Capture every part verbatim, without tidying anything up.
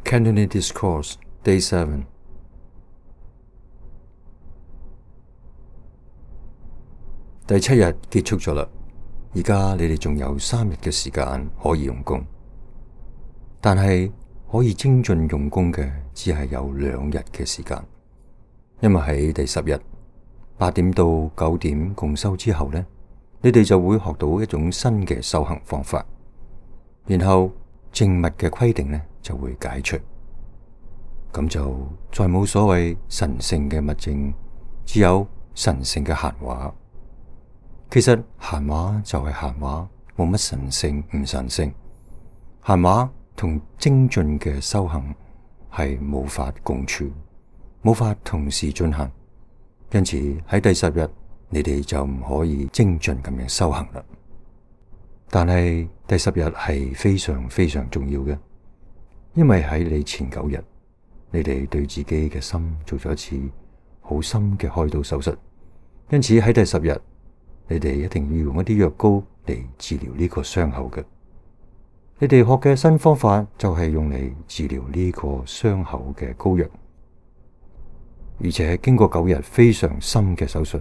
Cantonese Discourse Day seven。 第七日結束咗啦，而家你哋仲有三日嘅時間可以用功，但係可以精進用功嘅只係有兩日嘅時間，因為喺第十日八點到九點共修之後呢，你哋就會學到一種新嘅修行方法，然後靜默嘅規定呢就會解除，咁就再冇所謂神聖嘅默靜，只有神聖嘅閒話。其實閒話就係閒話，冇乜神聖唔神聖。閒話同精進嘅修行係無法共處，無法同時進行，因此喺第十日你哋就唔可以精進咁樣修行啦。但係第十日係非常非常重要嘅，因為喺你前九日，你哋對自己嘅心做咗一次好深嘅開刀手術，因此喺第十日，你哋一定要用一啲藥膏嚟治療呢個傷口嘅。你哋學嘅新方法就係用嚟治療呢個傷口嘅膏藥，而且經過九日非常深嘅手術，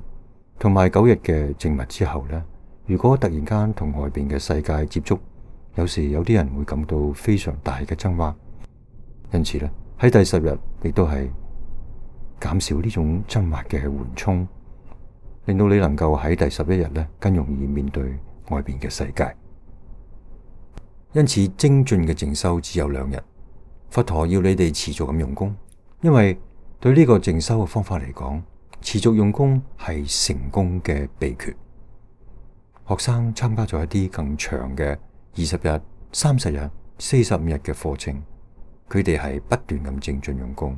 同埋九日嘅靜默之後呢，如果突然間同外邊嘅世界接觸，有時有啲人會感到非常大嘅掙扎。因此呢，喺第十日亦都係減少呢種掙扎嘅緩衝，令到你能夠喺第十一日咧更容易面對外邊嘅世界。因此精進嘅靜修只有兩日，佛陀要你哋持續咁用功，因為對呢個靜修嘅方法嚟講，持續用功係成功嘅秘訣。學生參加咗一啲更長嘅二十日、三十日、四十五日嘅課程，佢哋係不斷咁精進用功。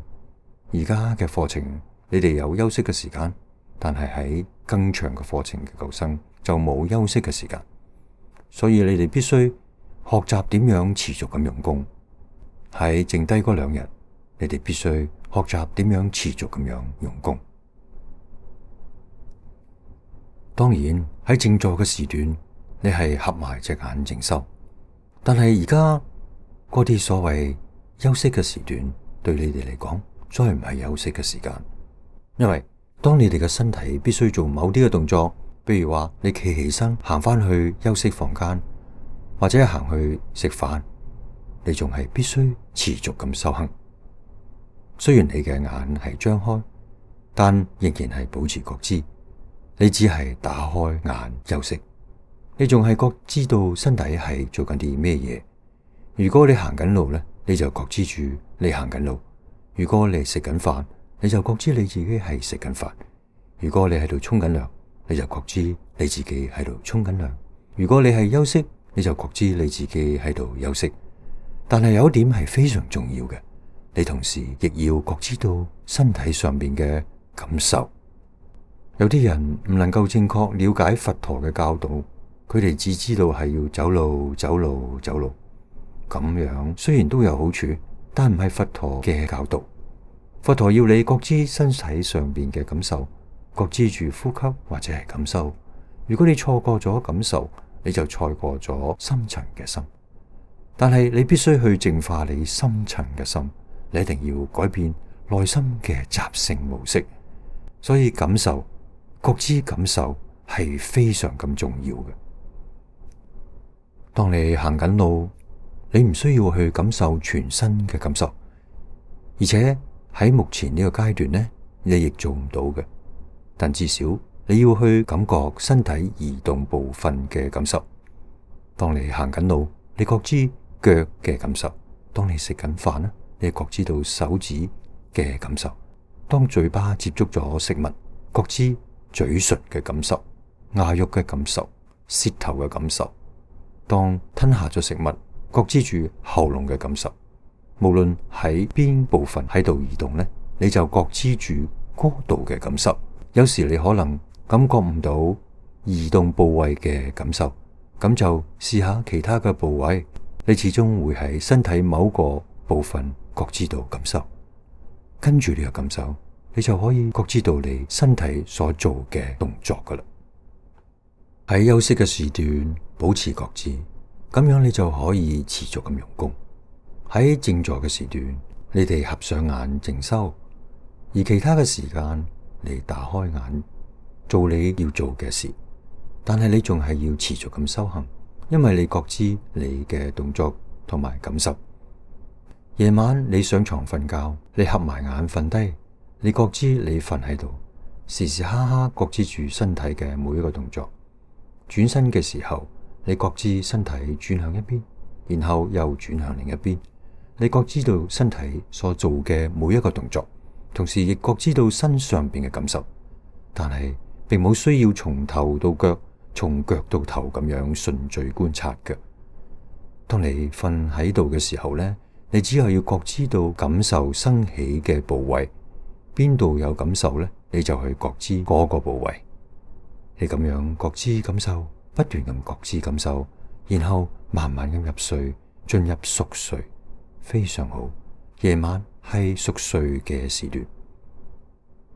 而家嘅課程，你哋有休息嘅時間，但係喺更長嘅課程嘅舊生就冇休息嘅時間，所以你哋必須學習點樣持續咁用功。喺剩低嗰兩日，你哋必須學習點樣持續咁樣用功。當然喺靜坐嘅時段，你係合埋隻眼靜修，但係而家嗰啲所謂休息嘅時段，對你哋嚟講，再唔係休息嘅時間，因為當你哋嘅身體必須做某啲嘅動作，比如話你企起身行翻去休息房間，或者行去食飯，你仲係必須持續咁修行。雖然你嘅眼係張開，但仍然係保持覺知。你只係打開眼休息，你仲係覺知道身體係做緊啲咩嘢。如果你行緊路呢，你就覺知住你行緊路；如果你食緊飯，你就覺知你自己係食緊飯；如果你喺度沖緊涼，你就覺知你自己喺度沖緊涼；如果你係休息，你就覺知你自己喺度休息。但係有一點係非常重要嘅，你同時亦要覺知到身體上面嘅感受。有啲人唔能夠正確了解佛陀嘅教導，佢哋只知道係要走路、走路、走路。咁樣雖然都有好處，但唔係佛陀嘅教導。佛陀要你覺知身體上邊嘅感受，覺知住呼吸或者係感受。如果你錯過咗感受，你就錯過咗深層嘅心。但係你必須去淨化你深層嘅心，你一定要改變內心嘅習性模式。所以感受、覺知感受係非常咁重要嘅。當你行緊路，你唔需要去感受全身嘅感受，而且喺目前呢個階段呢，你亦做唔到嘅。但至少你要去感覺身體移動部分嘅感受。當你行緊路，你覺知腳嘅感受；當你食緊飯呢，你覺知到手指嘅感受；當嘴巴接觸咗食物，覺知嘴唇嘅感受、牙肉嘅感受、舌頭嘅感受；當吞下咗食物，覺知住喉嚨嘅感受。無論喺邊部分喺度移動呢，你就覺知住嗰度嘅感受。有時你可能感覺唔到移動部位嘅感受，咁就試下其他嘅部位，你始終會喺身體某個部分覺知到感受。跟住呢個感受，你就可以覺知到你身體所做嘅動作噶啦。喺休息嘅時段保持覺知，咁樣你就可以持續咁用功。喺靜坐嘅時段，你哋合上眼靜修，而其他嘅時間你打開眼做你要做嘅事。但係你仲係要持續咁修行，因為你覺知你嘅動作同埋感受。夜晚你上床瞓覺，你合埋眼瞓低，你覺知你瞓喺度，時時刻刻覺知住身體嘅每一個動作。轉身嘅時候，你覺知身體轉向一邊，然後又轉向另一邊。你覺知到身體所做嘅每一個動作，同時亦覺知到身上邊嘅感受，但係並冇需要從頭到腳，從腳到頭咁樣順序觀察嘅。當你瞓喺度嘅時候呢，你只係要覺知到感受生起嘅部位，邊度有感受呢，你就去覺知嗰個部位。你咁樣覺知感受，不斷咁覺知感受，然後慢慢咁入睡，進入熟睡。非常好，夜晚係熟睡嘅時段。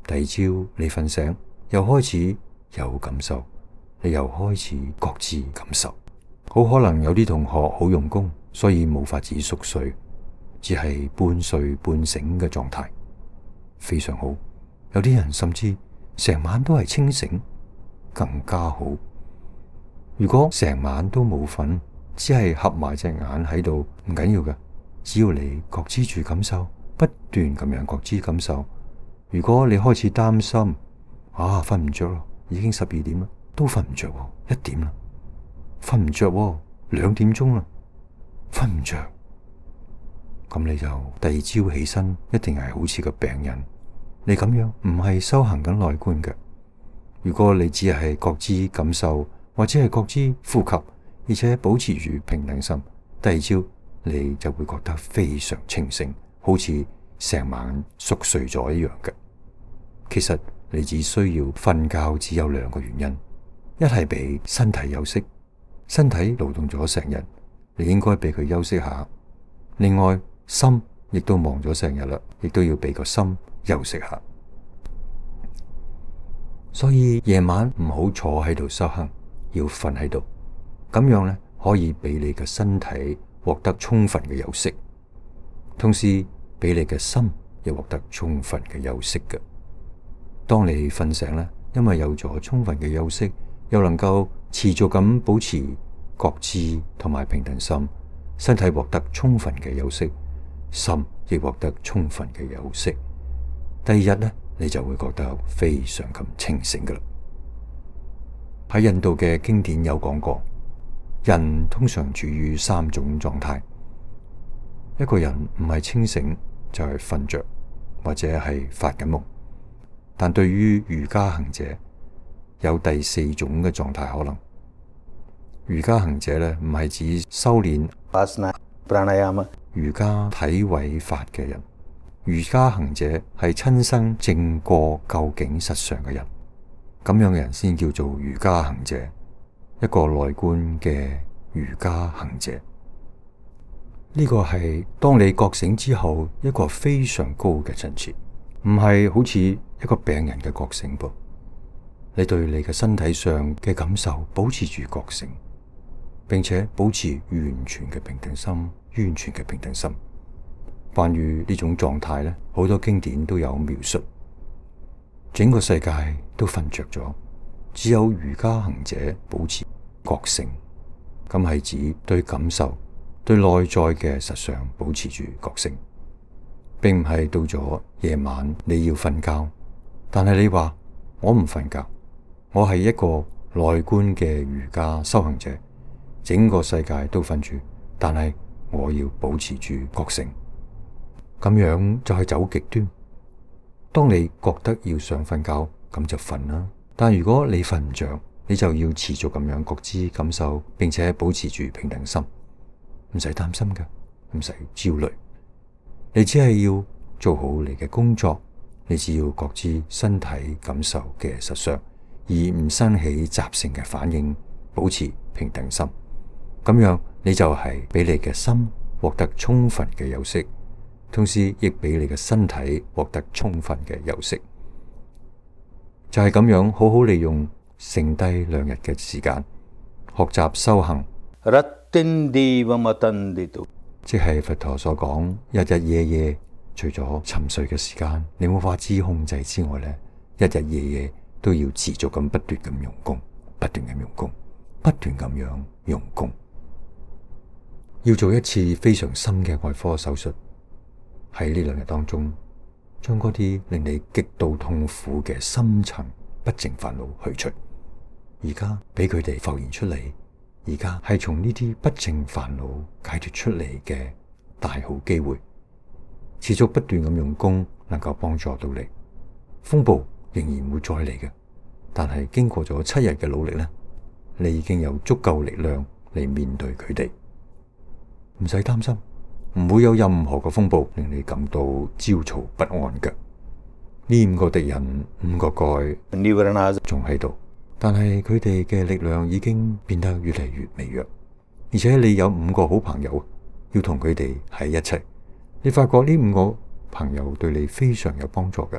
第二朝你瞓醒，又開始有感受，你又開始覺知感受。好可能有啲同學好用功，所以冇法子熟睡，只係半睡半醒嘅狀態，非常好。有啲人甚至成晚都係清醒，更加好。如果成晚都冇瞓，只係合埋隻眼喺度，唔緊要嘅。只要你覺知住感受，不斷咁樣覺知感受。如果你開始擔心，啊，瞓唔着咯，已經十二點啦，都瞓唔着，一點啦，瞓唔着，兩點鐘啦，瞓唔着，咁你就第二朝起身，一定係好似個病人。你咁樣唔係修行緊內觀嘅。如果你只係覺知感受，或者係覺知呼吸，而且保持住平等心，第二朝你就會覺得非常清醒，好似成晚熟睡咗一樣嘅。其實你只需要瞓覺，只有兩個原因：一係俾身體休息，身體勞動咗成日，你應該俾佢休息下；另外心亦都忙咗成日啦，亦都要俾個心休息下。所以夜晚唔好坐喺度修行，要瞓喺度，咁樣咧可以俾你嘅身體獲得充分嘅休息，同時俾你嘅心又獲得充分嘅休息嘅。當你瞓醒咧，因為有咗充分嘅休息，又能夠持續咁保持覺知同埋平等心，身體獲得充分嘅休息，心亦獲得充分嘅休息。第二日咧，你就會覺得非常咁清醒噶啦。喺印度嘅經典有講過，人通常處於三種狀態。一個人唔係清醒，就係瞓着或者係發緊夢。但對於瑜伽行者，有第四種嘅狀態可能。瑜伽行者咧，唔係指修煉瑜伽體位法嘅人。瑜伽行者係親身證過究竟實相嘅人，咁樣嘅人先叫做瑜伽行者，一個內觀嘅瑜伽行者。呢個係當你覺醒之後一個非常高嘅層次，唔係好似一個病人嘅覺醒噃。你對你嘅身體上嘅感受保持住覺醒，並且保持完全嘅平等心，完全嘅平等心。關於呢種狀態咧，好多經典都有描述。整個世界都瞓着咗，只有瑜伽行者保持覺醒。咁係指對感受、對內在嘅實相保持住覺醒，並唔係到咗夜晚你要瞓覺，但係你話我唔瞓覺，我係一個內觀嘅瑜伽修行者，整個世界都瞓住，但係我要保持住覺醒。咁樣就係走極端。當你覺得要想瞓覺，咁就瞓啦。但如果你瞓唔着，你就要持續咁樣覺知感受，並且保持住平等心，唔使擔心㗎，唔使焦慮。你只係要做好你嘅工作，你只要覺知身體感受嘅實相，而唔生起習性嘅反應，保持平等心。咁樣你就係俾你嘅心獲得充分嘅休息，同時亦俾你嘅身體獲得充分嘅休息。就係咁樣好好利用剩低兩日嘅時間，學習修行。即係佛陀所講日日夜夜，除咗沉睡嘅時間你冇法子控制之外咧，日日夜夜都要持續咁不斷咁用功，不斷咁用功，不斷咁樣用功。要做一次非常深嘅外科手術，喺呢兩日當中，將嗰啲令你極度痛苦嘅深層不淨煩惱去除。而家俾佢哋浮現出嚟，而家係從呢啲不淨煩惱解脫出嚟嘅大好機會。持續不斷咁用功，能夠幫助到你。風暴仍然會再嚟嘅，但係經過咗七日嘅努力呢，你已經有足夠力量嚟面對佢哋，唔使擔心，唔會有任何嘅風暴令你感到焦躁不安嘅。呢五個敵人，五個蓋仲喺度，但係佢哋嘅力量已經變得越嚟越微弱，而且你有五個好朋友要同佢哋喺一齊。你發覺呢五個朋友對你非常有幫助嘅。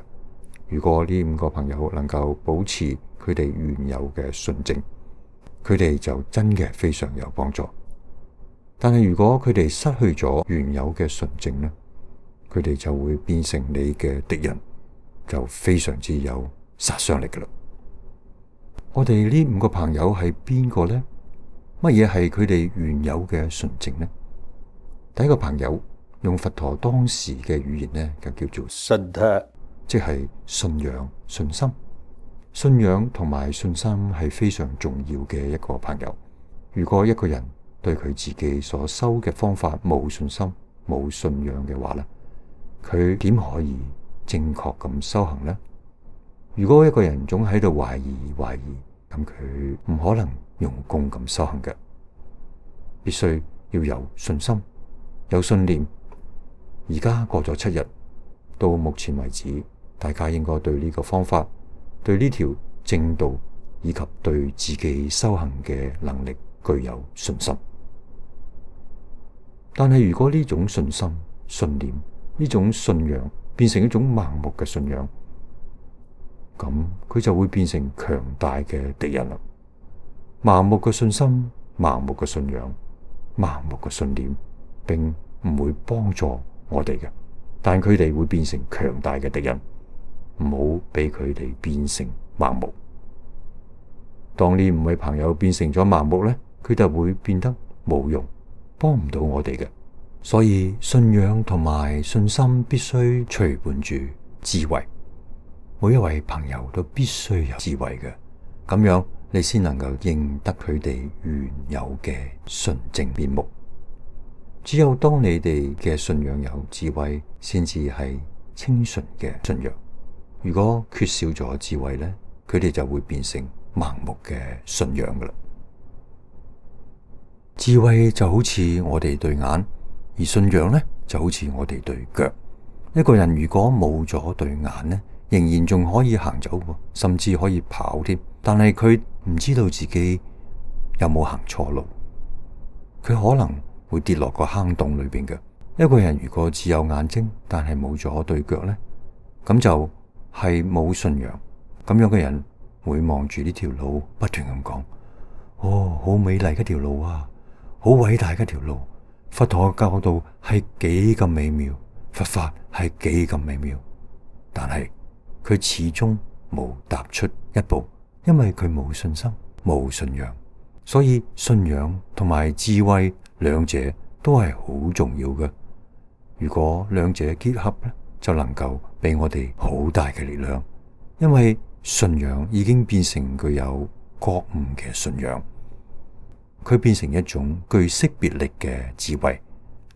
如果呢五個朋友能夠保持佢哋原有嘅純正，佢哋就真嘅非常有幫助。但係如果佢哋失去咗原有嘅純正呢，佢哋就會變成你嘅敵人，就非常之有殺傷力㗎喇。我哋呢五個朋友係邊個呢？乜嘢係佢哋原有嘅純正呢？第一個朋友，用佛陀當時嘅語言呢，就叫做信，即係信仰、信心。信仰同埋信心係非常重要嘅一個朋友。如果一個人對佢自己所修嘅方法冇信心、冇信仰嘅話呢，佢點可以正確咁修行呢？如果一個人總喺度懷疑懷疑，咁佢唔可能用功咁修行嘅。必須要有信心、有信念。而家過咗七日，到目前為止，大家應該對呢個方法、對呢條正道以及對自己修行嘅能力具有信心。但係如果呢種信心、信念、呢種信仰變成一種盲目嘅信仰，咁佢就會變成強大嘅敵人啦。盲目嘅信心、盲目嘅信仰、盲目嘅信念，並唔會幫助我哋嘅，但佢哋會變成強大嘅敵人，唔好俾佢哋變成盲目。當呢五位朋友變成咗盲目呢，佢就會變得冇用，幫唔到我哋嘅。所以信仰同埋信心必須隨伴住智慧，每一位朋友都必須有智慧嘅，咁樣你先能夠認得佢哋原有嘅純正面目。只有當你哋嘅信仰有智慧，先至係清純嘅信仰。如果缺少咗智慧呢，佢哋就會變成盲目嘅信仰噶啦。智慧就好似我哋對眼，而信仰呢就好似我哋對腳。一個人如果冇咗對眼呢，仍然仲可以行走，甚至可以跑添，但係佢唔知道自己有冇行錯路，佢可能會跌落個坑洞裏邊嘅。一個人如果只有眼睛，但係冇咗對腳呢，咁就係冇信仰。咁樣嘅人會望住呢條路，不斷咁講：哦，好美麗一條路啊，好偉大一條路。佛陀嘅教導係幾咁美妙，佛法係幾咁美妙。但係佢始終冇踏出一步，因為佢冇信心，冇信仰。所以信仰同埋智慧兩者都係好重要嘅。如果兩者結合咧，就能夠俾我哋好大嘅力量。因為信仰已經變成具有覺悟嘅信仰，佢變成一種具識別力嘅智慧，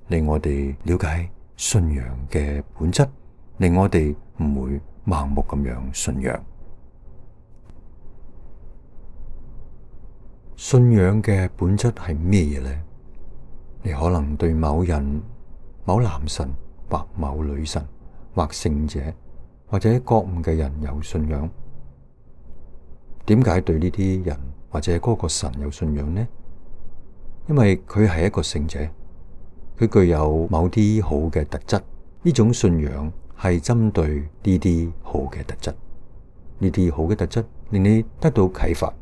令我哋了解信仰嘅本質，令我哋唔會盲目咁樣信仰。信仰嘅本質係咩嘢呢？你可能對某人、某男神或某女神或聖者或者覺悟嘅人有信仰。點解對呢啲人或者嗰個神有信仰呢？因為佢係一個聖者，佢具有某啲好嘅特質。呢種信仰係針對呢啲好嘅特質，呢啲好嘅特質令你得到啟發，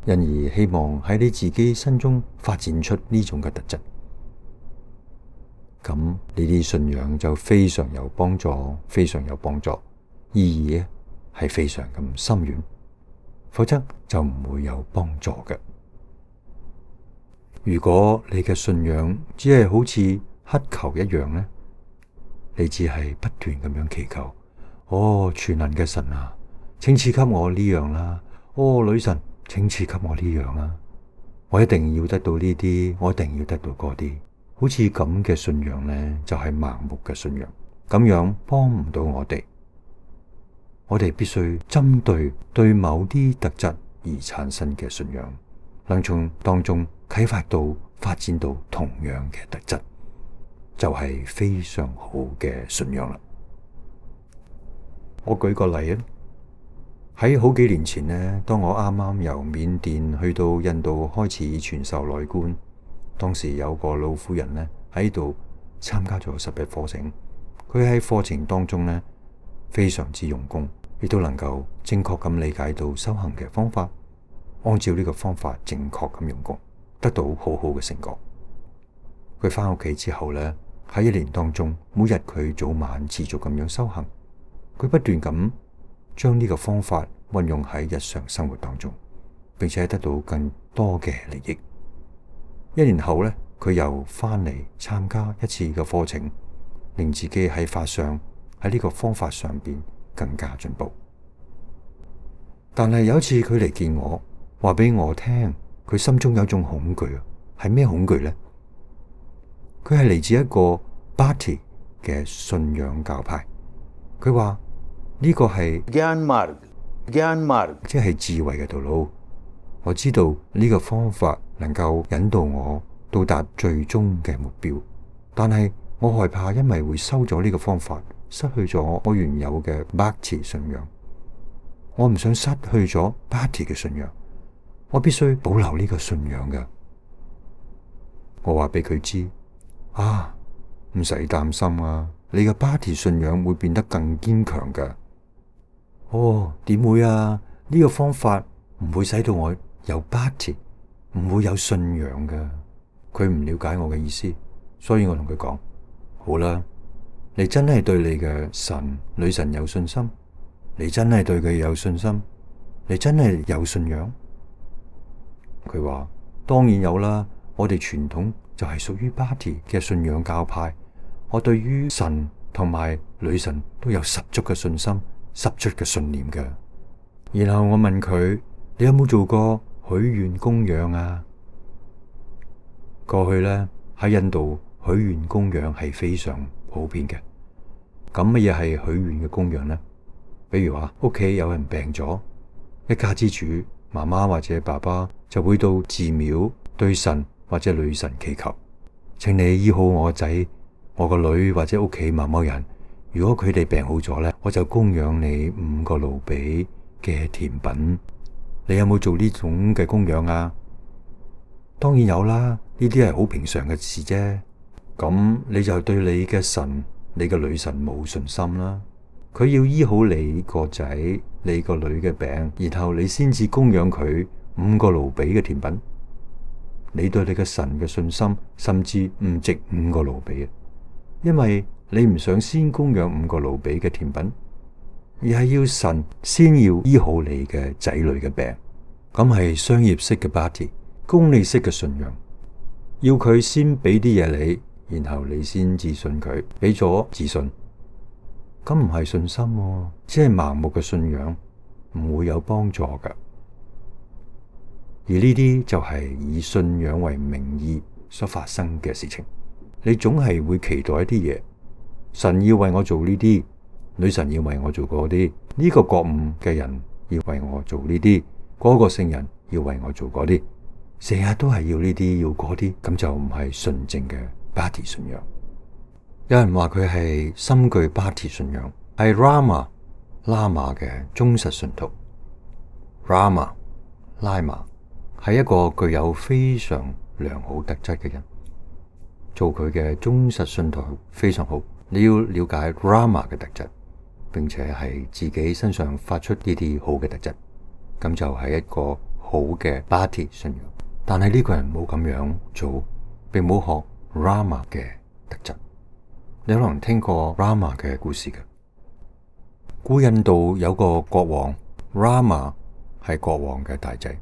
因而希望喺你自己身中發展出呢種嘅特質。咁呢啲信仰就非常有幫助，非常有幫助，意義咧係非常咁深遠，否則就唔會有幫助嘅。如果你嘅信仰只係好似乞求一樣呢，你只係不斷咁樣祈求，哦，全能嘅神啊，請賜給我呢樣啦，哦，女神，請賜給我呢樣啦，我一定要得到呢啲，我一定要得到嗰啲。好似咁嘅信仰呢，就係盲目嘅信仰，咁樣幫唔到我哋。我哋必須針對對某啲特質而產生嘅信仰，能從當中啟發到發展到同樣嘅特質，就係非常好嘅信仰啦。我舉個例啊，喺好幾年前呢，當我啱啱由緬甸去到印度開始傳授內觀，當時有個老婦人呢喺度參加咗十日課程，佢喺課程當中呢非常之用功，亦都能夠正確咁理解到修行嘅方法，按照呢個方法正確咁用功，得到好好嘅成果。佢返屋企之後呢，喺一年當中，每日佢早晚持續咁樣修行，佢不斷咁將呢個方法運用喺日常生活當中，並且得到更多嘅利益。一年後呢，佢又返嚟參加一次嘅課程，令自己喺法上喺呢個方法上邊更加進步。但係有一次佢嚟見我，話俾我聽，佢心中有一種恐懼啊，係咩恐懼呢？佢係嚟自一個巴提嘅信仰教派，佢話呢個係 Gyan Marg Gyan Marg 即係智慧嘅道路。我知道呢個方法能夠引導我到達最終嘅目標，但係我害怕因為會收咗呢個方法，失去咗我原有嘅 Bhakti 信仰。我唔想失去咗 Bhakti 嘅信仰，我必須保留呢個信仰嘅。我話俾佢知，啊，唔使擔心啊，你嘅 Bhakti 信仰會變得更堅強㗎。哦，點會啊？呢個方法唔會使到我有 Bhakti，唔會有信仰㗎。佢唔了解我嘅意思，所以我同佢講，好啦，你真係對你嘅神女神有信心，你真係對佢有信心，你真係有信仰。佢話當然有啦，我哋傳統就係屬於 Bhakti 嘅信仰教派，我對於神同埋女神都有十足嘅信心，十足嘅信念㗎。然後我問佢，你有冇做過許願供養啊？過去呢，喺印度許願供養係非常普遍嘅。咁乜嘢係許願嘅供養呢？比如話屋企有人病咗，一家之主媽媽或者爸爸就會到寺廟對神或者女神祈求，請你醫好我個仔、我個女或者屋企某某人。如果佢哋病好咗呢，我就供養你五個盧比嘅甜品。你有冇做呢種嘅供養啊？當然有啦，呢啲係好平常嘅事啫。咁你就對你嘅神、你嘅女神冇信心啦。佢要醫好你個仔、你個女嘅病，然後你先至供養佢五個盧比嘅甜品。你對你嘅神嘅信心甚至唔值五個盧比啊，因為你唔想先供養五個盧比嘅甜品，而係要神先要醫好你嘅仔女嘅病。咁係商業式嘅 Bhakti， 功利式嘅信仰，要佢先俾啲嘢你，然後你先至信佢，俾咗自信。咁唔係信心喎，只係盲目嘅信仰，唔會有幫助㗎。而呢啲就係以信仰為名義所發生嘅事情。你總係會期待一啲嘢，神要為我做呢啲，女神要為我做嗰啲，呢個覺悟嘅人要為我做呢啲，嗰個聖人要為我做嗰啲，成日都係要呢啲要嗰啲，咁就唔係純正嘅 Bhakti 信仰。有人話佢係深具 Bhakti 信仰，係 Rama 喇嘛嘅忠實信徒。Rama 喇嘛係一個具有非常良好特質嘅人，做佢嘅忠實信徒非常好。你要了解 Rama 嘅特質，並且係自己身上發出呢啲好嘅特質，咁就係一個好嘅 Bhakti 信仰。但係呢個人冇咁樣做，並冇學 Rama 嘅特質。你可能聽過 Rama 嘅故事嘅。古印度有個國王 Rama 係國王嘅大仔，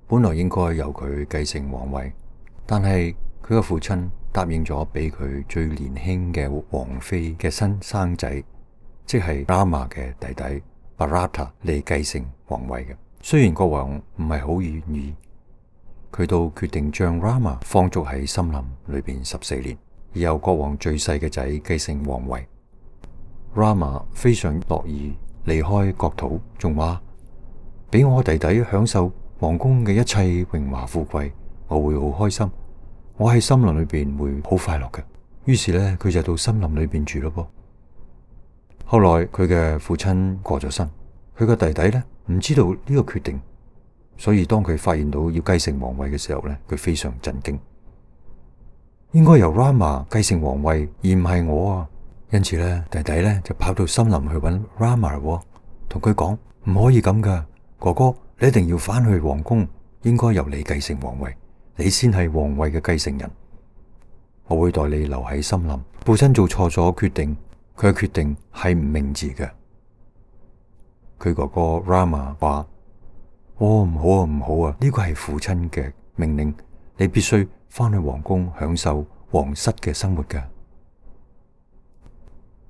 本來應該由佢繼承皇位，但係佢嘅父親答應咗俾佢最年輕嘅王妃嘅新生仔，即係 Rama 嘅弟弟 Bharata 嚟繼承皇位嘅。雖然國王唔係好願意，佢都決定將 Rama 放逐喺森林裏邊十四年，而由國王最細嘅仔繼承皇位。Rama 非常樂意離開國土，仲話俾我弟弟享受皇宮嘅一切榮華富貴，我會好開心。我喺森林裏邊會好快樂嘅。於是呢，佢就到森林裏邊住咯噃。後來佢嘅父親過咗身，佢個弟弟呢唔知道呢個決定。所以當佢發現到要繼承皇位嘅時候呢，佢非常震驚。應該由 Rama 繼承皇位，而唔係我啊！因此呢，弟弟呢就跑到森林去揾 Rama， 同佢講，唔可以咁噶，哥哥，你一定要返去皇宮，應該由你繼承皇位，你先係皇位嘅繼承人。我會代你留喺森林。父親做錯咗決定，佢嘅決定係唔明智嘅。佢哥哥 Rama 話。哦，唔好啊，唔好啊！呢個係父親嘅命令，你必須返去皇宮享受皇室嘅生活㗎。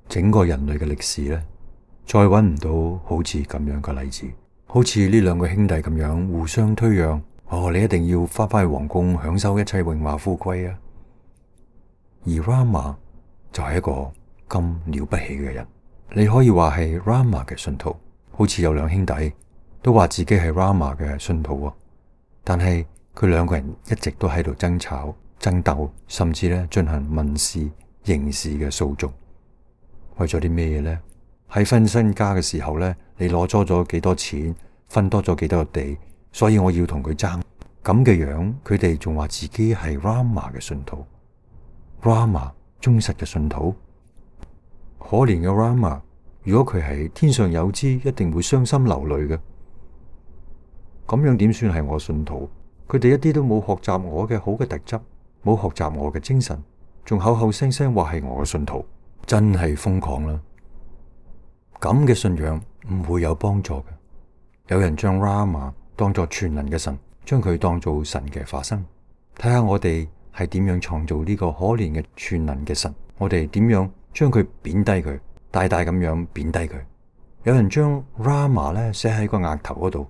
整個人類嘅歷史呢，再搵唔到好似咁樣嘅例子，好似呢兩個兄弟咁樣互相推讓。哦，你一定要返返去皇宮享受一切榮華富貴啊！而 Rama 就係一個咁了不起嘅人，你可以話係 Rama 嘅信徒，好似有兩兄弟。都話自己係 Rama 嘅信徒，但係佢兩個人一直都喺度爭吵、爭鬥，甚至咧進行民事、刑事嘅訴訟。為咗啲咩嘢呢？喺分身家嘅時候呢，你攞咗咗幾多錢，分多咗幾多個地，所以我要同佢爭。咁嘅樣，佢哋仲話自己係 Rama 嘅信徒 ，Rama 忠實嘅信徒。可憐嘅 Rama， 如果佢係天上有知，一定會傷心流淚嘅。咁樣點算係我信徒？佢哋一啲都冇學習我嘅好嘅特質，冇學習我嘅精神，仲口口聲聲話係我嘅信徒，真係瘋狂啦！咁嘅信仰唔會有幫助嘅。有人將 Rama 當作全能嘅神，將佢當做神嘅化身。睇下我哋係點樣創造呢個可憐嘅全能嘅神，我哋點樣將佢貶低佢，大大咁樣貶低佢。有人將 Rama 咧寫喺個額頭嗰度。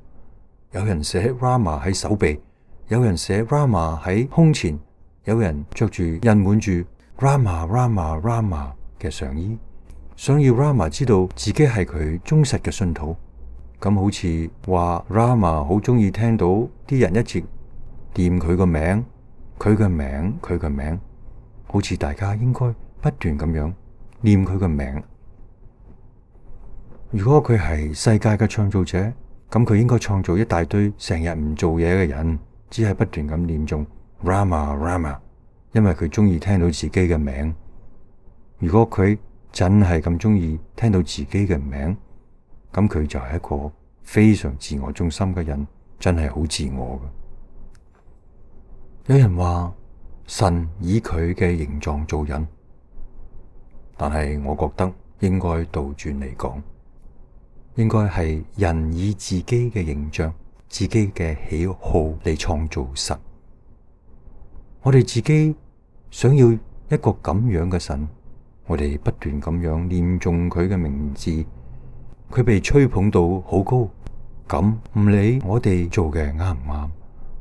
有人寫 Rama 喺手臂，有人寫 Rama 喺胸前，有人着住印滿住 Rama Rama Rama 嘅上衣，想要 Rama 知道自己係佢忠實嘅信徒。咁好似話 Rama 好中意聽到啲人一直念佢個名，佢嘅名，佢嘅名，好似大家應該不斷咁樣念佢嘅名。如果佢係世界嘅創造者，咁佢應該創造一大堆成日唔做嘢嘅人，只係不斷咁念誦 Rama Rama， 因為佢中意聽到自己嘅名。如果佢真係咁中意聽到自己嘅名，咁佢就係一個非常自我中心嘅人，真係好自我嘅。有人話神以佢嘅形狀做人，但係我覺得應該倒轉嚟講。應該係人以自己嘅形象、自己嘅喜好嚟創造神。我哋自己想要一個咁樣嘅神，我哋不斷咁樣念誦佢嘅名字，佢被吹捧到好高。咁唔理我哋做嘅啱唔啱，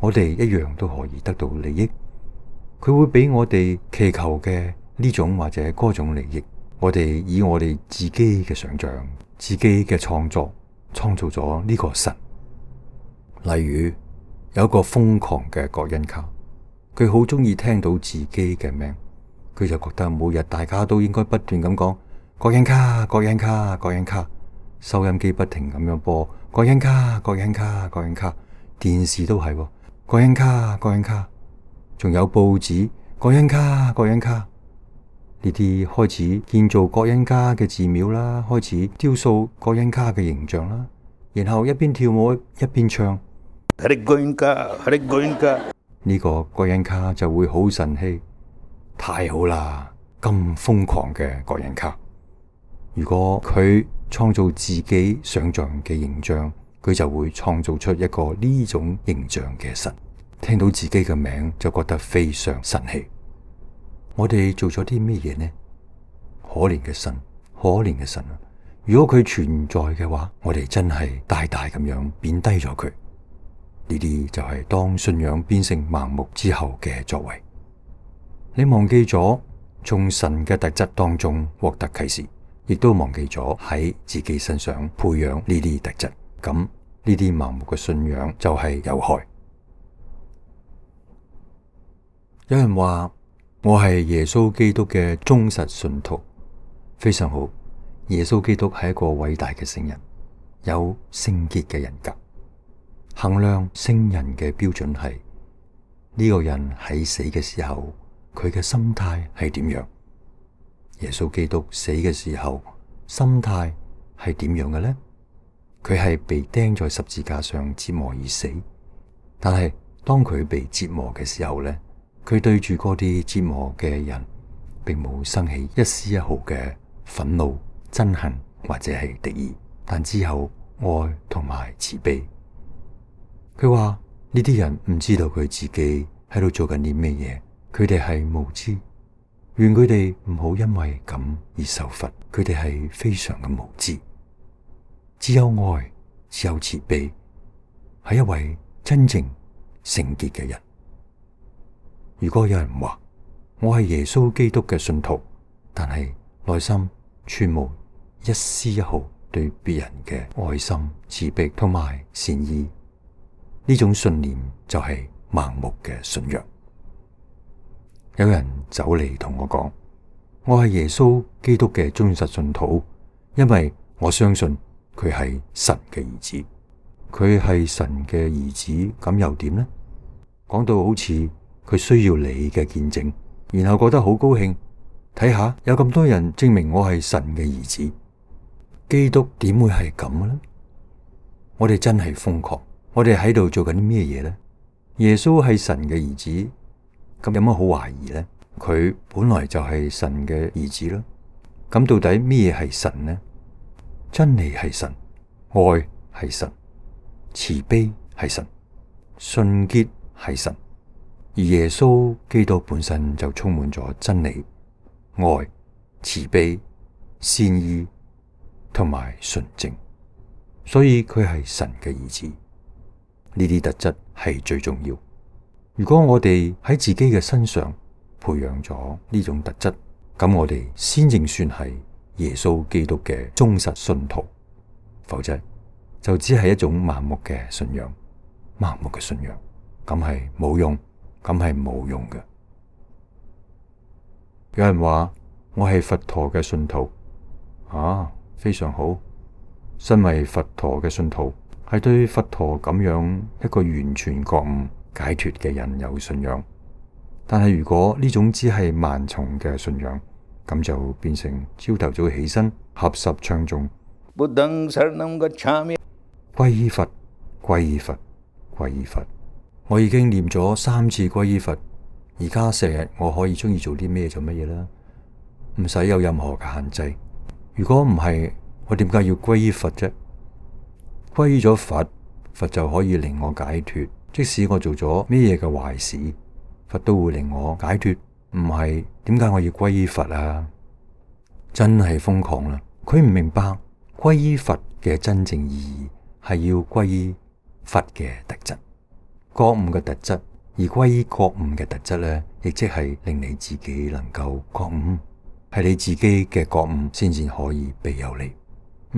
我哋一樣都可以得到利益。佢會俾我哋祈求嘅呢種或者嗰種利益。我哋以我哋自己嘅想象、自己嘅創作創造咗呢個神。例如有一個瘋狂嘅葛恩卡，佢好中意聽到自己嘅名，佢就覺得每日大家都應該不斷咁講葛恩卡、葛恩卡、葛恩卡，收音機不停咁樣播葛恩卡、葛恩卡、葛恩卡，電視都係葛恩卡、葛恩卡，仲有報紙葛恩卡、葛恩卡。呢啲開始建造葛恩卡嘅寺廟啦，開始雕塑葛恩卡嘅形象啦，然後一邊跳舞一邊唱，呢個葛恩卡就會好神氣，太好啦！咁瘋狂嘅個人卡。如果佢創造自己想象嘅形象，佢就會創造出一個呢種形象嘅神。聽到自己嘅名就覺得非常神氣。我哋做咗啲咩嘢呢？可憐嘅神，可憐嘅神啊！如果佢存在嘅話，我哋真係大大咁樣貶低咗佢。呢啲就係當信仰變成盲目之後嘅作為。你忘記咗從神嘅特質當中獲得啟示，亦都忘記咗喺自己身上培養呢啲特質。咁呢啲盲目嘅信仰就係有害。有人話我係耶穌基督嘅忠實信徒，非常好。耶穌基督係一個偉大嘅聖人，有聖潔嘅人格。衡量聖人嘅標準係呢個人喺死嘅時候，佢嘅心態係點樣？耶穌基督死嘅時候，心態係點樣嘅呢？佢係被釘在十字架上折磨而死，但係當佢被折磨嘅時候呢，佢對住嗰啲折磨嘅人，並冇生起一絲一毫嘅憤怒、憎恨或者係敵意，但只有愛同埋慈悲。佢話呢啲人唔知道佢自己喺度做緊啲咩嘢，佢哋係無知，願佢哋唔好因為咁而受罰。佢哋係非常嘅無知，只有愛，只有慈悲，係一位真正聖潔嘅人。如果有人話我係耶穌基督嘅信徒，但係內心全無一絲一毫對別人嘅愛心、慈悲同埋善意，呢種信念就係盲目嘅信仰。有人走嚟同我講，我係耶穌基督嘅忠實信徒，因為我相信佢係神嘅兒子。佢係神嘅兒子，咁又點呢？講到好似佢需要你嘅見證，然後覺得好高興。睇下有咁多人證明我係神嘅兒子，基督點會係咁嘅呢？我哋真係瘋狂，我哋喺度做緊啲咩嘢呢？耶穌係神嘅兒子，咁有乜好懷疑呢？佢本來就係神嘅兒子啦。咁到底咩嘢係神呢？真理係神，愛係神，慈悲係神，純潔係神。而耶穌基督本身就充滿咗真理、愛、慈悲、善意同埋純正，所以佢係神嘅兒子。呢啲特質係最重要。如果我哋喺自己嘅身上培養咗呢種特質，咁我哋先正算係耶穌基督嘅忠實信徒，否則就只係一種盲目嘅信仰。盲目嘅信仰咁係冇用，咁係冇用嘅。有人話我係佛陀嘅信徒，啊，非常好。身為佛陀嘅信徒，係對佛陀咁樣一個完全覺悟解脫嘅人有信仰。但係如果呢種只係盲從嘅信仰，咁就變成朝頭早起身合十唱誦，皈依佛，皈依佛，皈依佛。我已經念咗三次皈依佛，而家成日我可以鍾意做啲咩做乜嘢啦，唔使有任何嘅限制。如果唔係，我點解要皈依佛啫？皈依咗佛，佛就可以令我解脫。即使我做咗咩嘢嘅壞事，佛都會令我解脫。唔係，點解我要皈依佛啊？真係瘋狂啦！佢唔明白皈依佛嘅真正意義係要皈依佛嘅特質。覺悟嘅特質，而歸依覺悟嘅特質咧，亦即係令你自己能夠覺悟，係你自己嘅覺悟先至可以庇佑你，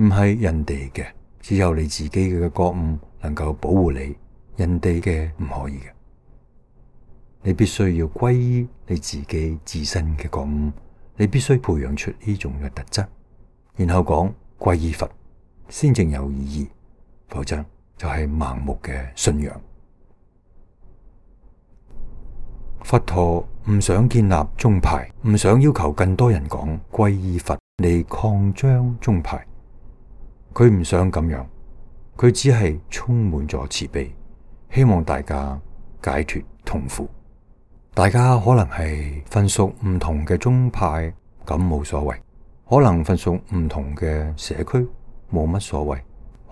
唔係人哋嘅。只有你自己嘅覺悟能夠保護你，人哋嘅唔可以嘅。你必須要歸依你自己自身嘅覺悟，你必須培養出呢種嘅特質，然後講歸依佛，先正有意義，否則就係盲目嘅信仰。佛陀唔想建立宗派，唔想要求更多人講皈依佛嚟擴張宗派，佢唔想咁樣，佢只係充滿咗慈悲，希望大家解脫痛苦。大家可能係分屬唔同嘅宗派，咁冇所謂；可能分屬唔同嘅社區，冇乜所謂；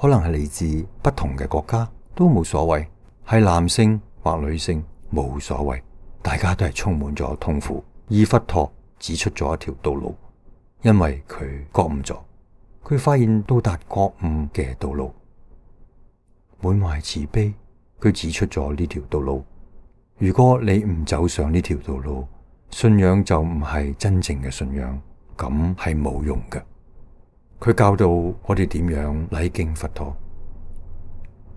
可能係嚟自不同嘅國家，都冇所謂。係男性或女性，冇所謂。大家都係充滿咗痛苦，而佛陀指出咗一條道路，因為佢覺悟咗，佢發現到達覺悟嘅道路，滿懷慈悲，佢指出咗呢條道路。如果你唔走上呢條道路，信仰就唔係真正嘅信仰，咁係冇用嘅。佢教導我哋點樣禮敬佛陀。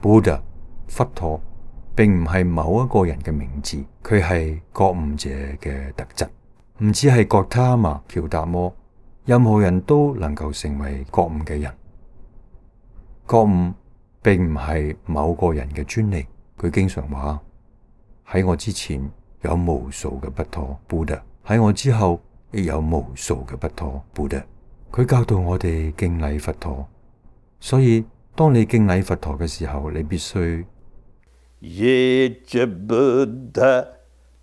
Buddha，佛陀並唔係某一個人嘅名字，佢係覺悟者嘅特質。唔止係覺他瑪喬達摩，任何人都能夠成為覺悟嘅人。覺悟並唔係某個人嘅專利。佢經常話，喺我之前有無數嘅不陀 Buddha， 喺我之後亦有無數嘅不陀 Buddha。佢教導我哋敬禮佛陀，所以當你敬禮佛陀嘅時候，你必須耶cha Buddha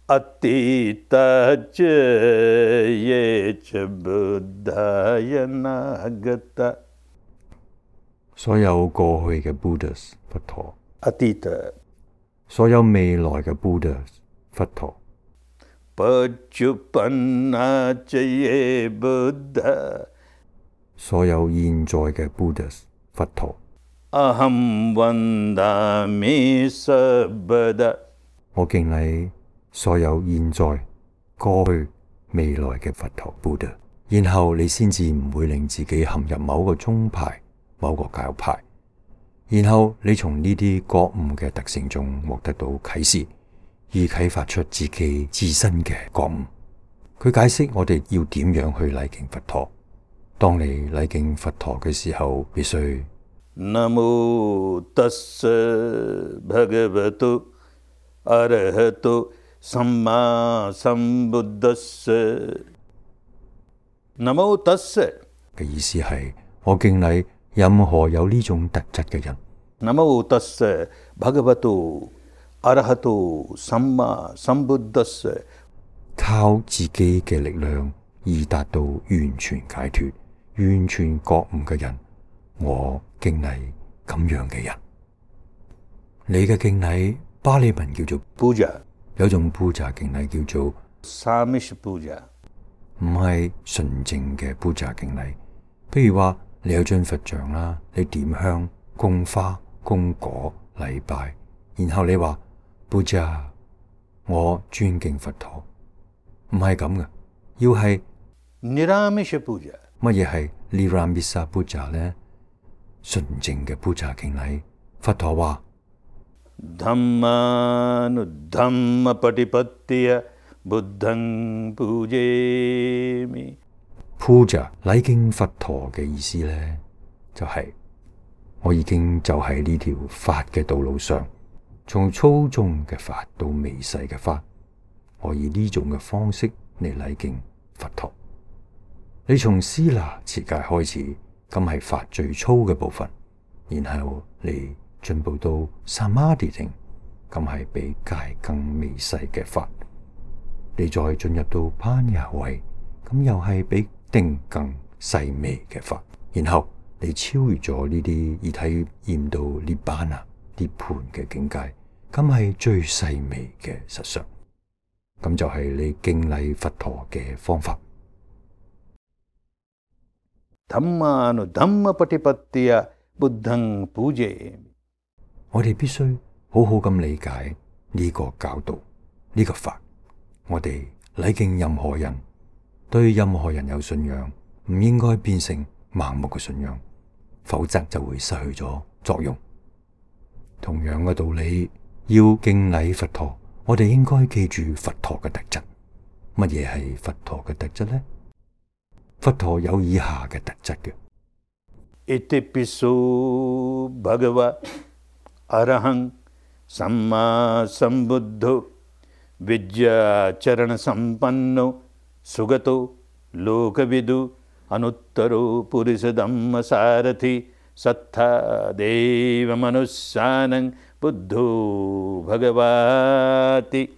Atita cha耶cha Buddha Yanagata。所有過去嘅 Buddhas 佛陀 Atita， 所有未來嘅 Buddhas 佛陀 Pachupanna cha ye Buddha， 所有現在嘅 Buddhas 佛陀。Aham vandami sabada， 我敬禮所有現在、過去、未來嘅佛陀 Buddha， 然後你先至唔會令自己陷入某個宗派、某個教派，然後你從呢啲覺悟嘅特性中獲得到啟示，而啟發出自己自身嘅覺悟。佢解釋我哋要點樣去禮敬佛陀。當你禮敬佛陀嘅時候，必須Namo tassa bhagavato arahato samma sambuddhassa。 Namo tassa 嘅意思係我敬禮任何有呢種特質嘅人。Namo tassa bhagavato arahato samma sambuddhassa， 靠自己嘅力量而達到完全解脫、完全覺悟嘅人，我敬禮咁樣嘅人。你嘅敬禮巴利文叫做 Puja， 有種 Puja 敬禮叫做 Samish Puja， 唔係純正嘅 Puja 敬禮。譬如話你有尊佛像啦，你點香、供花、供果、禮拜，然後你話 Puja， 我尊敬佛陀，唔係咁嘅，要係 Niramisha Puja。 乜嘢係 Niramisa Puja 呢？純正嘅 Puja 敬禮。佛陀話 Dhammanudhamma patipattiya buddhang pujemi。 Puja 禮敬佛陀嘅意思呢，就係、是、我已經就喺呢條法嘅道路上，從粗重嘅法到微細嘅法，我以呢種嘅方式嚟禮敬佛陀。你從思那持戒開始，咁係法最粗嘅部分，然後你進步到 Samadhi 定，咁係比戒更微細嘅法。你再進入到攀雅位，咁又係比定更細微嘅法。然後你超越咗呢啲而體驗到涅槃啊、涅槃嘅境界，咁係最細微嘅實相。咁就係你敬禮佛陀嘅方法。Dhammanudhamma patipattiya buddhang pujemi。 我哋必須好好咁理解呢個教導，呢個法。我哋禮敬任何人，對任何人有信仰，唔應該變成盲目嘅信仰，否則就會失去咗作用。同樣嘅道理，要敬禮佛陀，我哋應該記住佛陀嘅特質。乜嘢係佛陀嘅特質呢？佛陀有以下嘅特質嘅。Itipiso bhagava arahang samma sambuddho vidya charana sampanno sugato lokavidu anuttaro purisa dhamma sarathi sattha deva manussanang buddho bhagavati。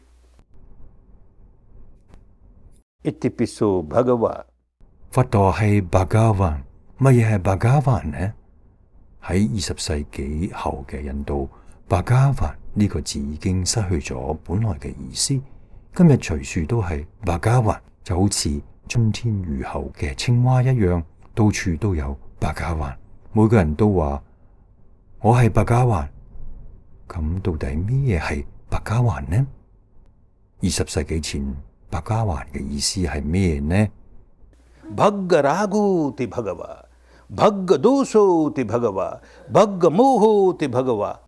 Iti piso Bhagava。佛陀係巴加還，乜嘢係巴加還呢？喺二十世紀後嘅印度，巴加還呢個字已經失去咗本來嘅意思。今日隨處都係巴加還，就好似春天雨後嘅青蛙一樣，到處都有巴加還。每個人都話我係巴加還。咁到底咩嘢係巴加還呢？二十世紀前，巴加還嘅意思係咩呢？Bhagga Raghoti Bhagava, Bhagga Dosoti Bhagava, Bhagga Mohoti Bhagava。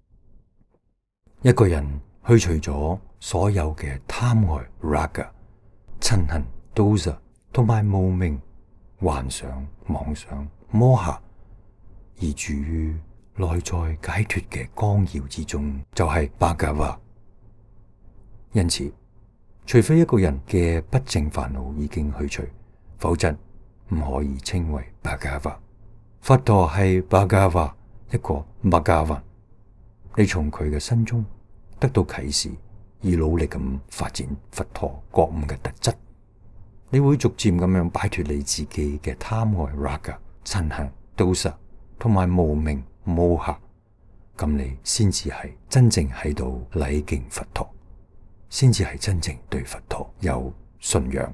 一個人去除咗所有嘅貪愛 raga、嗔恨 dosa 同埋無明、幻想、妄想、摩哈，而住於內在解脫嘅光耀之中，就係巴加瓦。因此，除非一個人嘅不淨煩惱已經去除，否則唔可以稱為巴加瓦。佛陀係巴加瓦，一個巴加還。你從佢嘅身中得到啟示，而努力咁發展佛陀覺悟嘅特質，你會逐漸咁樣擺脫你自己嘅貪愛 raga、嗔恨 dosa 同埋無明 moha，咁你先至係真正喺度禮敬佛陀，先至係真正對佛陀有信仰。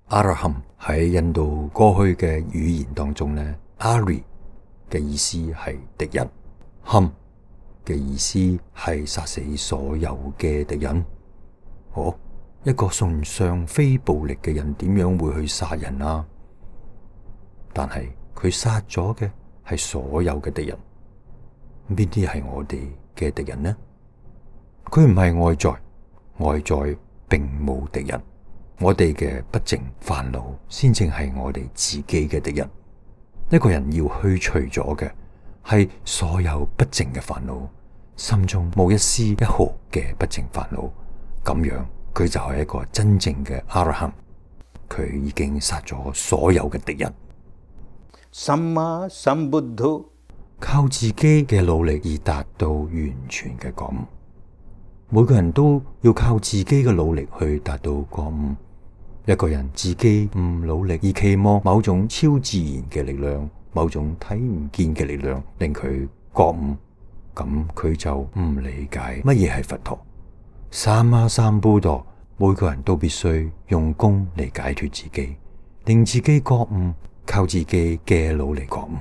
阿拉罕喺印度過去嘅語言當中呢，阿里嘅意思係敵人，罕嘅意思係殺死所有嘅敵人。哦，一個崇尚非暴力嘅人點樣會去殺人啊？但係佢殺咗嘅係所有嘅敵人。邊啲係我哋嘅敵人呢？佢唔係外在，外在並冇敵人。我哋嘅不淨煩惱先正係我哋自己嘅敵人。一個人要去除咗嘅係所有不淨嘅煩惱，心中冇一絲一毫嘅不淨煩惱，咁樣佢就係一個真正嘅阿羅漢。佢已經殺咗所有嘅敵人。Samma Sambuddho，靠自己嘅努力而達到完全嘅覺悟。每個人都要靠自己嘅努力去達到覺悟。一個人自己唔努力而期望某種超自然嘅力量，某種睇唔見嘅力量令佢覺悟，咁佢就唔理解乜嘢係佛陀。三媽三布陀，每個人都必須用功嚟解脫自己，令自己覺悟，靠自己嘅努力覺悟。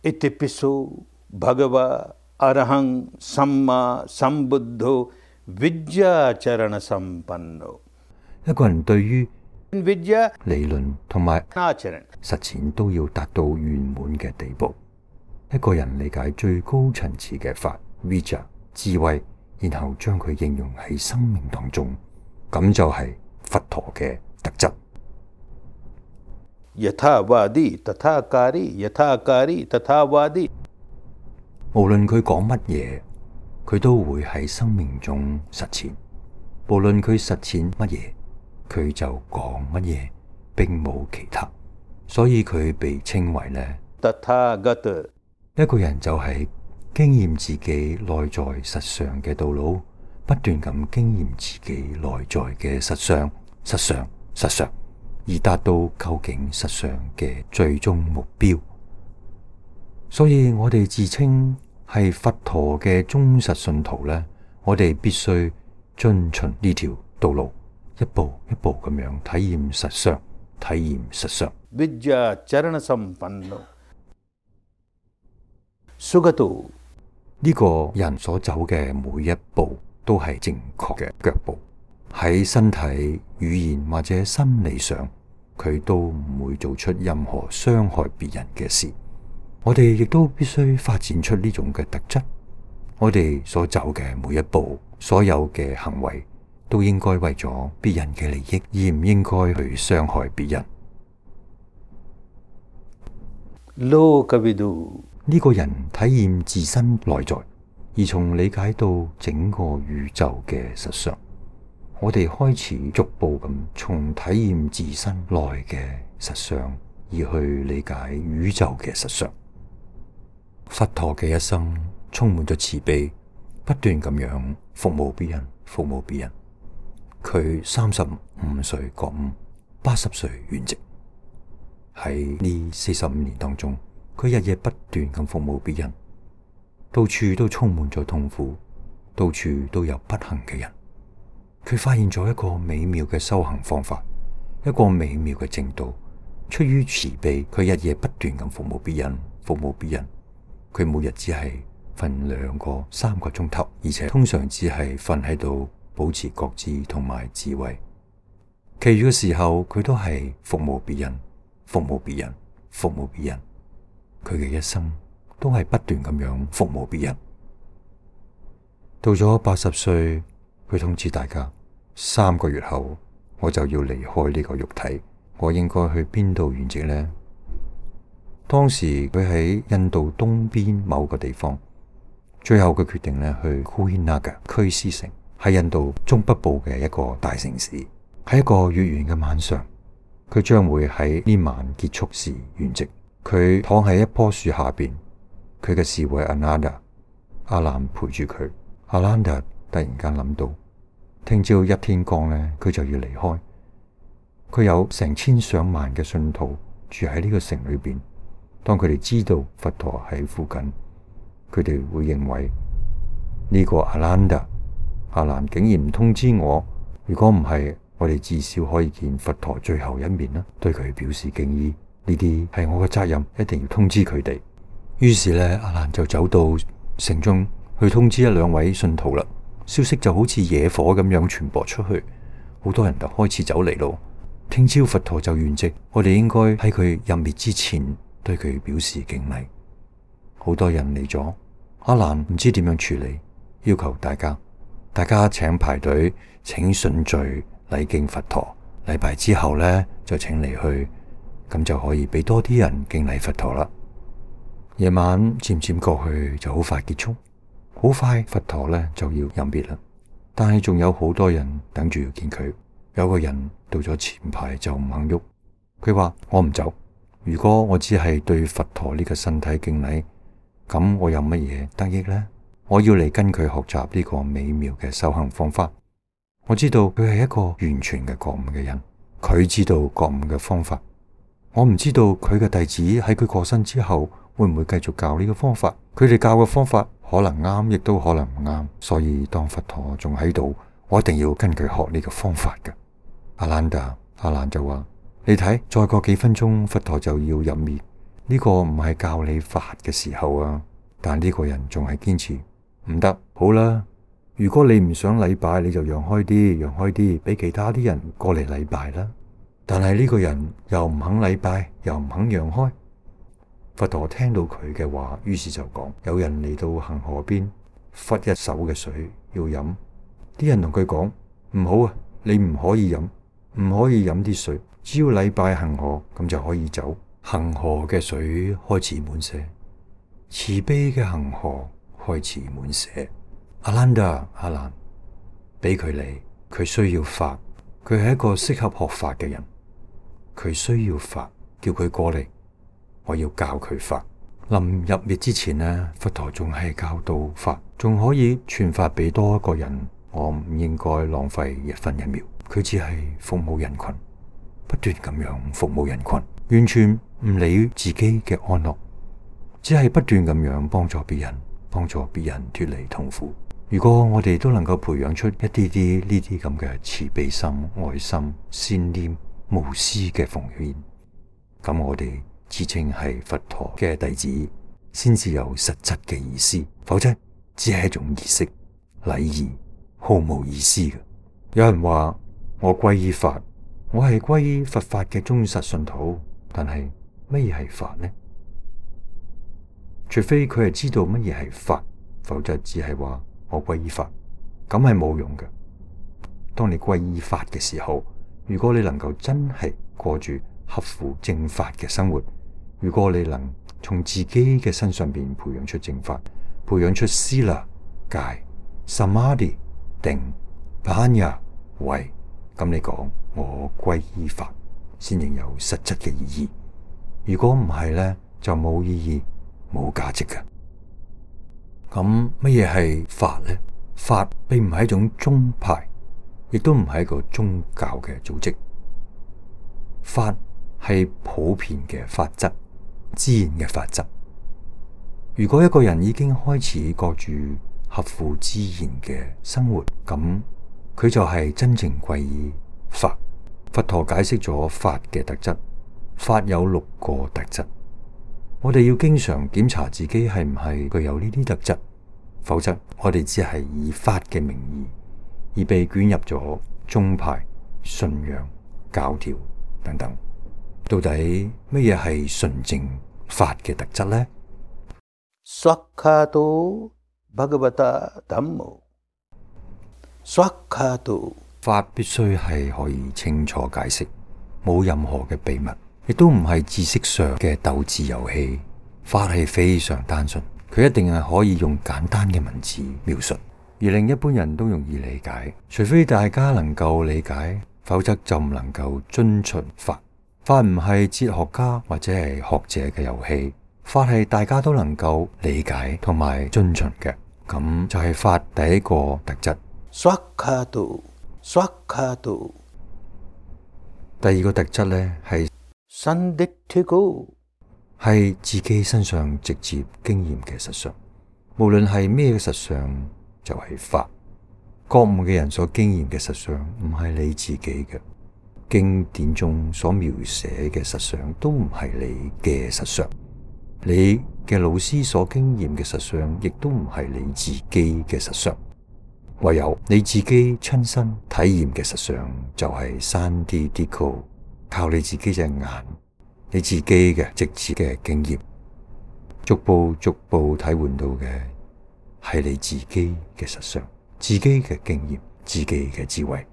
Iti piso Bhagava Arahang Samma Sambuddho Vidya Charana Sampanno。一個人對於 Vidya 理論同埋 Acharan 實踐都要達到圓滿嘅地步。一個人理解最高層次嘅法 Vidya 智慧，然後將佢應用喺生命當中，咁就係佛陀嘅特質。Yathawadi Tathakari Yathakari Tathawadi，無論佢講乜嘢，佢都會喺生命中實踐。無論佢實踐乜嘢，佢就講乜嘢，並冇其他。所以佢被稱為呢 Tathagata。一個人就係經驗自己內在實相嘅道路，不斷咁經驗自己內在嘅實相、實相、實相，而達到究竟實相嘅最終目標。所以我哋自稱係佛陀嘅忠實信徒呢，我哋必須遵循呢條道路，一步一步咁樣體驗實相，體驗實相。Vidya Charana Sampanno Sugato，呢個人所走嘅每一步都係正確嘅腳步，喺身體、語言或者心理上，佢都唔會做出任何傷害別人嘅事。我哋亦都必須發展出呢種嘅特質。我哋所走嘅每一步，所有嘅行為，都應該為咗別人嘅利益，而唔應該去傷害別人。Lokavidu，呢個人體驗自身內在，而從理解到整個宇宙嘅實相。我哋開始逐步咁從體驗自身內嘅實相，而去理解宇宙嘅實相。佛陀嘅一生充滿咗慈悲，不斷咁樣服務別人，服務別人，佢三十五歲覺悟，八十歲圓寂。喺呢四十五年當中，佢日夜不斷咁服務別人，到處都充滿咗痛苦，到處都有不幸嘅人。佢發現咗一個美妙嘅修行方法，一個美妙嘅正道。出於慈悲，佢日夜不斷咁服務別人，服務別人。佢每日只係瞓兩個、三個鐘頭，而且通常只係瞓喺度保持覺知同埋智慧。其餘嘅時候，佢都係服務別人，服務別人，服務別人。佢嘅一生都係不斷咁樣服務別人。到咗八十歲，佢通知大家，三個月後我就要離開呢個肉體。我應該去邊度圓寂呢？當時佢喺印度東邊某個地方，最後佢決定咧去庫希納嘅區斯城，喺印度中北部嘅一個大城市。喺一個月圓嘅晚上，佢將會喺呢晚結束時圓寂。佢躺喺一棵樹下邊，佢嘅侍衛阿蘭達阿蘭陪住佢。阿蘭達突然間諗到，聽朝一天光咧，佢就要離開。佢有成千上萬嘅信徒住喺呢個城裏邊。當佢哋知道佛陀喺附近，佢哋會認為呢個阿蘭達阿蘭竟然唔通知我，如果唔係，我哋至少可以見佛陀最後一面啦，對佢表示敬意。呢啲係我嘅責任，一定要通知佢哋。於是咧，阿蘭就走到城中去通知一兩位信徒啦。消息就好似野火咁樣傳播出去，好多人就開始走嚟咯。聽朝佛陀就圓寂，我哋應該喺佢入滅之前對佢表示敬禮。好多人嚟咗，阿蘭唔知點樣處理，要求大家，大家請排隊，請順序禮敬佛陀。禮拜之後呢，就請離去，咁就可以俾多啲人敬禮佛陀啦。夜晚漸漸過去，就好快結束，好快佛陀呢就要入滅啦。但係仲有好多人等住要見佢。有個人到咗前排就唔肯喐，佢話我唔走。如果我只係對佛陀呢個身體敬禮，咁我有乜嘢得益呢？我要嚟跟佢學習呢個美妙嘅修行方法。我知道佢係一個完全嘅覺悟嘅人，佢知道覺悟嘅方法。我唔知道佢嘅弟子喺佢過身之後會唔會繼續教呢個方法。佢哋教嘅方法可能啱，亦都可能唔啱。所以當佛陀仲喺度，我一定要跟佢學呢個方法嘅。阿蘭達阿蘭就話：你睇，再過幾分鐘佛陀就要入滅，呢個唔係教你法嘅時候啊！但呢個人仲係堅持唔得。好啦，如果你唔想禮拜，你就讓開啲，讓開啲，俾其他啲人過嚟禮拜啦。但係呢個人又唔肯禮拜，又唔肯讓開。佛陀聽到佢嘅話，於是就講：有人嚟到恒河邊，忽一手嘅水要飲，啲人同佢講：唔好啊，你唔可以飲。唔可以飲啲水，只要禮拜恒河咁就可以走。恒河嘅水開始滿瀉，慈悲嘅恒河開始滿瀉。阿蘭達阿蘭俾佢嚟，佢需要法，佢係一個適合學法嘅人，佢需要法，叫佢過嚟，我要教佢法。臨入滅之前呢，佛陀仲係教導法，仲可以傳法俾多一個人，我唔應該浪費一分一秒。佢只係服務人群，不斷咁樣服務人群，完全唔理自己嘅安樂，只係不斷咁樣幫助別人，幫助別人脫離痛苦。如果我哋都能夠培養出一啲啲呢啲咁嘅慈悲心、愛心、善念、無私嘅奉獻，咁我哋自稱係佛陀嘅弟子，先至有實質嘅意思，否則只係一種儀式、禮儀，毫無意思嘅。有人話：我皈依法，我係皈依佛法嘅忠實信徒，但係乜嘢係法呢？除非佢係知道乜嘢係法，否則只係話我皈依法，咁係冇用嘅。當你皈依法嘅時候，如果你能夠真係過住合乎正法嘅生活，如果你能從自己嘅身上邊培養出正法，培養出思啦、戒、samadhi、定、panya、慧，咁你講我皈依法，先至有實質嘅意義。如果唔係呢，就冇意義、冇價值嘅。咁乜嘢係法呢？法並唔係一種宗派，亦都唔係一個宗教嘅組織。法係普遍嘅法則，自然嘅法則。如果一個人已經開始過住合乎自然嘅生活，咁佢就係真正皈依法。佛陀解釋咗法嘅特質，法有六個特質。我哋要經常檢查自己係唔係具有呢啲特質，否則我哋只係以法嘅名義而被捲入咗宗派、信仰、教條等等。到底乜嘢係純正法嘅特質呢？Swakkhato Bhagavata Dhammo。Swakkhato法必須係可以清楚解釋，冇任何嘅秘密，亦都唔係知識上嘅鬥智遊戲。法係非常單純，佢一定係可以用簡單嘅文字描述，而令一般人都容易理解。除非大家能夠理解，否則就唔能夠遵循法。法唔係哲學家或者係學者嘅遊戲，法係大家都能夠理解同埋遵循嘅。咁就係法第一個特質。Swakkhato Swakkhato。第二個特質呢係 Sanditthiko，係自己身上直接經驗嘅實相。無論係咩嘅實相，就係法。覺悟嘅人所經驗嘅實相唔係你自己嘅，經典中所描寫嘅實相都唔係你嘅實相，你嘅老師所經驗嘅實相亦都唔係你自己嘅實相。唯有你自己親身體驗嘅實相就係Sanditthiko，靠你自己隻眼，你自己嘅直接嘅經驗，逐步逐步體會到嘅係你自己嘅實相，自己嘅經驗，自己嘅智慧。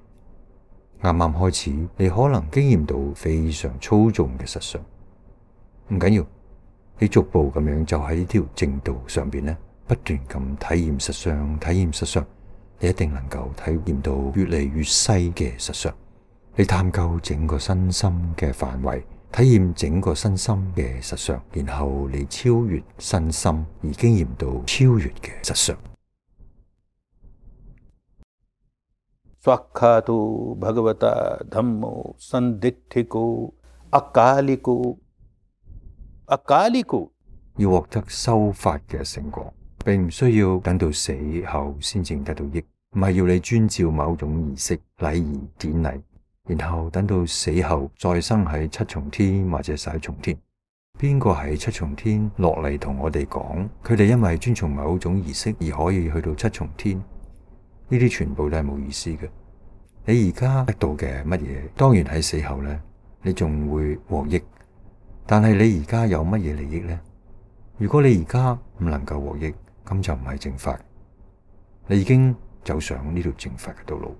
啱啱開始，你可能經驗到非常粗重嘅實相，唔緊要，你逐步咁樣就喺呢條正道上邊咧，不斷咁體驗實相，體驗實相。你一定能夠體驗到越嚟越細嘅實相，你探究整個身心嘅範圍，體驗整個身心嘅實相，然後你超越身心而經驗到超越嘅實相。Swakkhato Bhagavata Dhammo Sanditthiko Akaliko Akaliko。要獲得修法嘅成果，並唔需要等到死後先至得到益，唔係要你遵照某種儀式、禮儀、典禮，然後等到死後再生喺七重天或者十一重天。邊個喺七重天落嚟同我哋講，佢哋因為遵從某種儀式而可以去到七重天？呢啲全部都係冇意思嘅。你而家得到嘅乜嘢，當然喺死後呢，你仲會獲益。但係你而家有乜嘢利益呢？如果你而家唔能夠獲益，咁就唔係正法。你已經走上呢條正法嘅道路，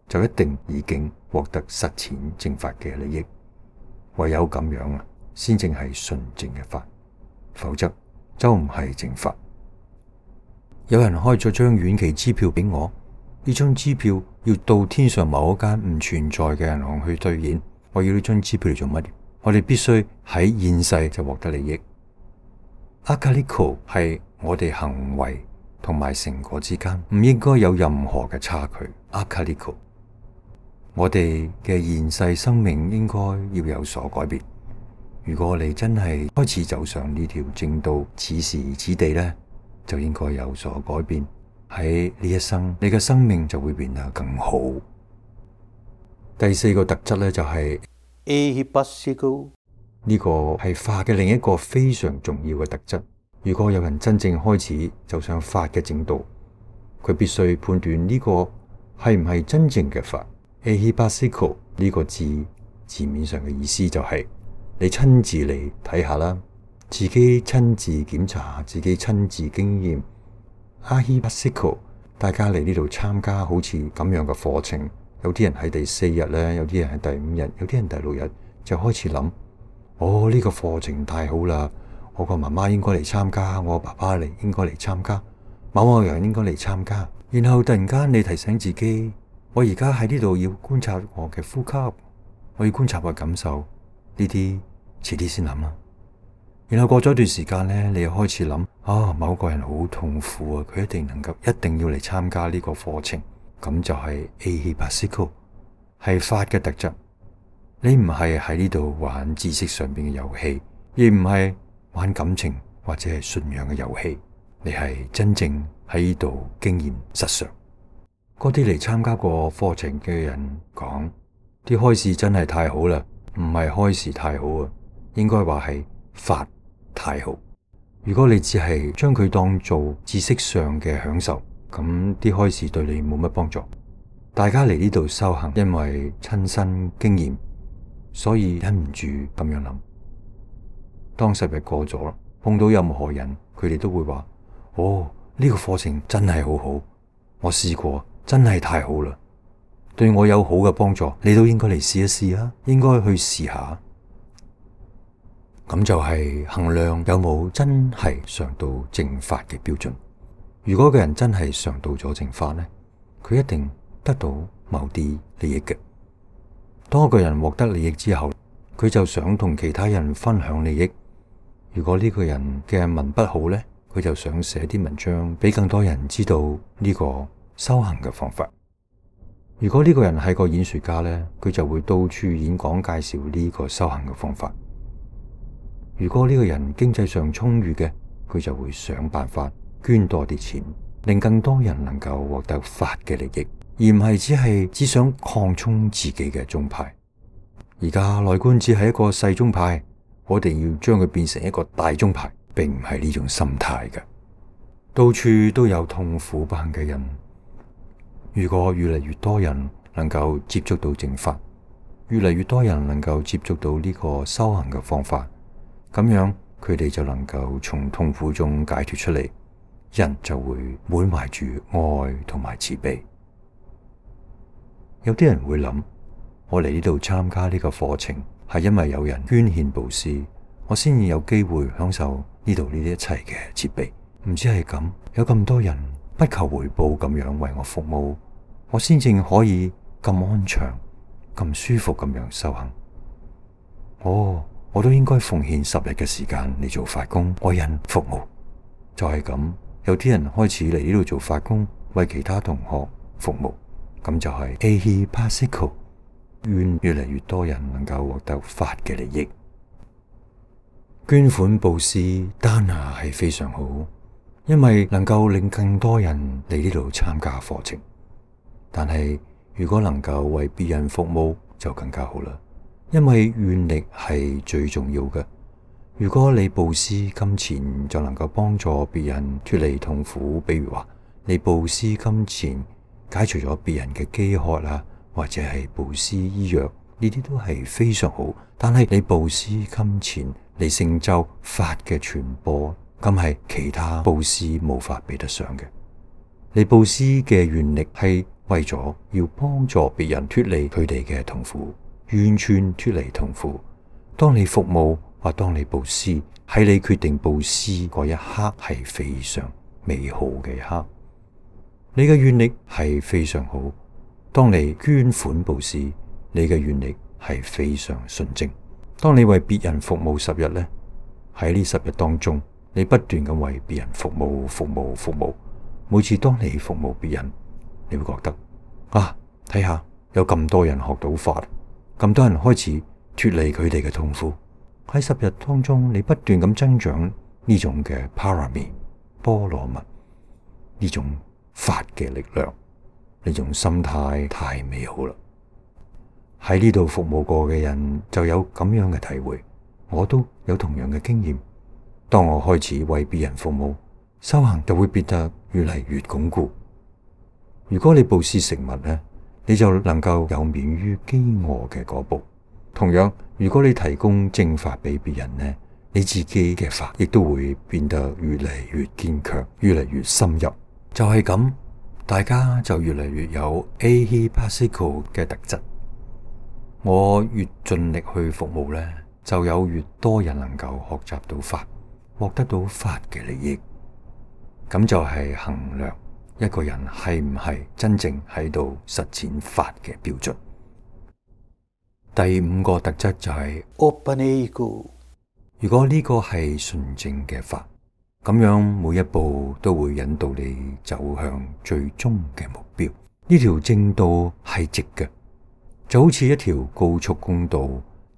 就一定已經獲得實踐正法嘅利益。唯有咁樣啊，先正係純正嘅法，否則就唔係正法。有人開咗張遠期支票俾我，呢張支票要到天上某一間唔存在嘅銀行去兌現。我要呢張支票嚟做乜嘢？我哋必須喺現世就獲得利益。Akaliko 係我哋行為同埋成果之間唔應該有任何嘅差距。Akaliko， 我哋嘅現世生命應該要有所改變。如果你真係開始走上呢條正道，此時此地呢，就應該有所改變。喺呢一生，你嘅生命就會變得更好。第四個特質呢，就係 Ehipassiko。呢個係法嘅另一個非常重要嘅特質。如果有人真正開始走上法嘅正道，佢必須判斷呢個係唔係真正嘅法。Ehipassiko 呢個字字面上嘅意思就係、是、你親自嚟睇下啦，自己親自檢查，自己親自經驗。Ehipassiko 大家嚟呢度參加好似咁樣嘅課程，有啲人喺第四日咧，有啲人喺第五日，有啲人第六日就開始諗。哦，呢個課程太好啦！我個媽媽應該嚟參加，我爸爸嚟應該嚟參加，某某人應該嚟參加。然後突然間你提醒自己，我而家喺呢度要觀察我嘅呼吸，我要觀察我嘅感受，呢啲遲啲先諗啦。然後過咗一段時間呢，你又開始諗，啊，某個人好痛苦啊，佢一定能夠，一定要嚟參加呢個課程。咁就係 Ahipasiko，係法嘅特質。你唔係喺呢度玩知識上邊嘅遊戲，而唔係玩感情或者係信仰嘅遊戲，你係真正喺呢度經驗實相。嗰啲嚟參加過課程嘅人講，啲開示真係太好啦，唔係開示太好啊，應該話係法太好。如果你只係將佢當做知識上嘅享受，咁啲開示對你冇乜幫助。大家嚟呢度修行，因為親身經驗，所以忍唔住咁樣諗。當十日過咗，碰到任何人，佢哋都會話：哦，呢個課程真係好好，我試過，真係太好啦，對我有好嘅幫助，你都應該嚟試一試啊，應該去試下。咁就係衡量有冇真係上到正法嘅標準。如果個人真係上到咗正法呢，佢一定得到某啲利益嘅。當一個人獲得利益之後，佢就想同其他人分享利益。如果呢個人嘅文筆好呢，佢就想寫啲文章俾更多人知道呢個修行嘅方法。如果呢個人係個演說家呢，佢就會到處演講介紹呢個修行嘅方法。如果呢個人經濟上充裕嘅，佢就會想辦法捐多啲錢，令更多人能夠獲得法嘅利益，而唔係只係只想擴充自己嘅宗派。而家內觀只係一個細宗派，我哋要將佢變成一個大宗派，並唔係呢種心態嘅。到處都有痛苦不幸嘅人，如果越嚟越多人能夠接觸到正法，越嚟越多人能夠接觸到呢個修行嘅方法，咁樣佢哋就能夠從痛苦中解脫出嚟，人就會滿懷住愛同埋慈悲。有啲人會諗，我嚟呢度參加呢個課程係因為有人捐獻布施，我先至有機會享受呢度呢啲一切嘅設備。唔知係咁，有咁多人不求回報咁樣為我服務，我先正可以咁安詳、咁舒服咁樣修行。哦，我都應該奉獻十日嘅時間嚟做法工，為人服務。就係咁，有啲人開始嚟呢度做法工，為其他同學服務。咁就係 Ahipasiko， 願越嚟越多人能夠獲得法嘅利益。捐款布施單下係非常好，因為能夠令更多人嚟呢度參加課程。但係如果能夠為別人服務就更加好啦，因為願力係最重要嘅。如果你布施金錢就能夠幫助別人脫離痛苦，比如話你布施金錢解除咗別人嘅飢渴啊，或者係布施醫藥，呢啲都係非常好。但係你布施金錢嚟成就法嘅傳播，咁係其他布施無法比得上嘅。你布施嘅願力係為咗要幫助別人脫離佢哋嘅痛苦，完全脫離痛苦。當你服務或當你布施，喺你決定布施嗰一刻係非常美好嘅一刻。你嘅願力係非常好。當你捐款布施，你嘅願力係非常純正。當你為別人服務十日呢，喺呢十日當中，你不斷咁為別人服務、服務、服務。每次當你服務別人，你會覺得啊，睇下有咁多人學到法，咁多人開始脫離佢哋嘅痛苦。喺十日當中，你不斷咁增長呢種嘅 parami 波羅蜜，呢種法嘅力量，呢種心態太美好啦！喺呢度服務過嘅人就有咁樣嘅體會，我都有同樣嘅經驗。當我開始為別人服務，修行就會變得越嚟越鞏固。如果你布施食物呢，你就能夠有免於飢餓嘅嗰步。同樣，如果你提供正法俾別人呢，你自己嘅法亦都會變得越嚟越堅強，越嚟越深入。就係咁，大家就越嚟越有 Ahipasiko 嘅特質。我越盡力去服務呢，就有越多人能夠學習到法，獲得到法嘅利益。咁就係衡量一個人係唔係真正喺度實踐法嘅標準。第五個特質就係 Opaneko。如果呢個係純正嘅法，咁樣每一步都會引導你走向最終嘅目標。呢條正道係直嘅，就好似一條高速公道，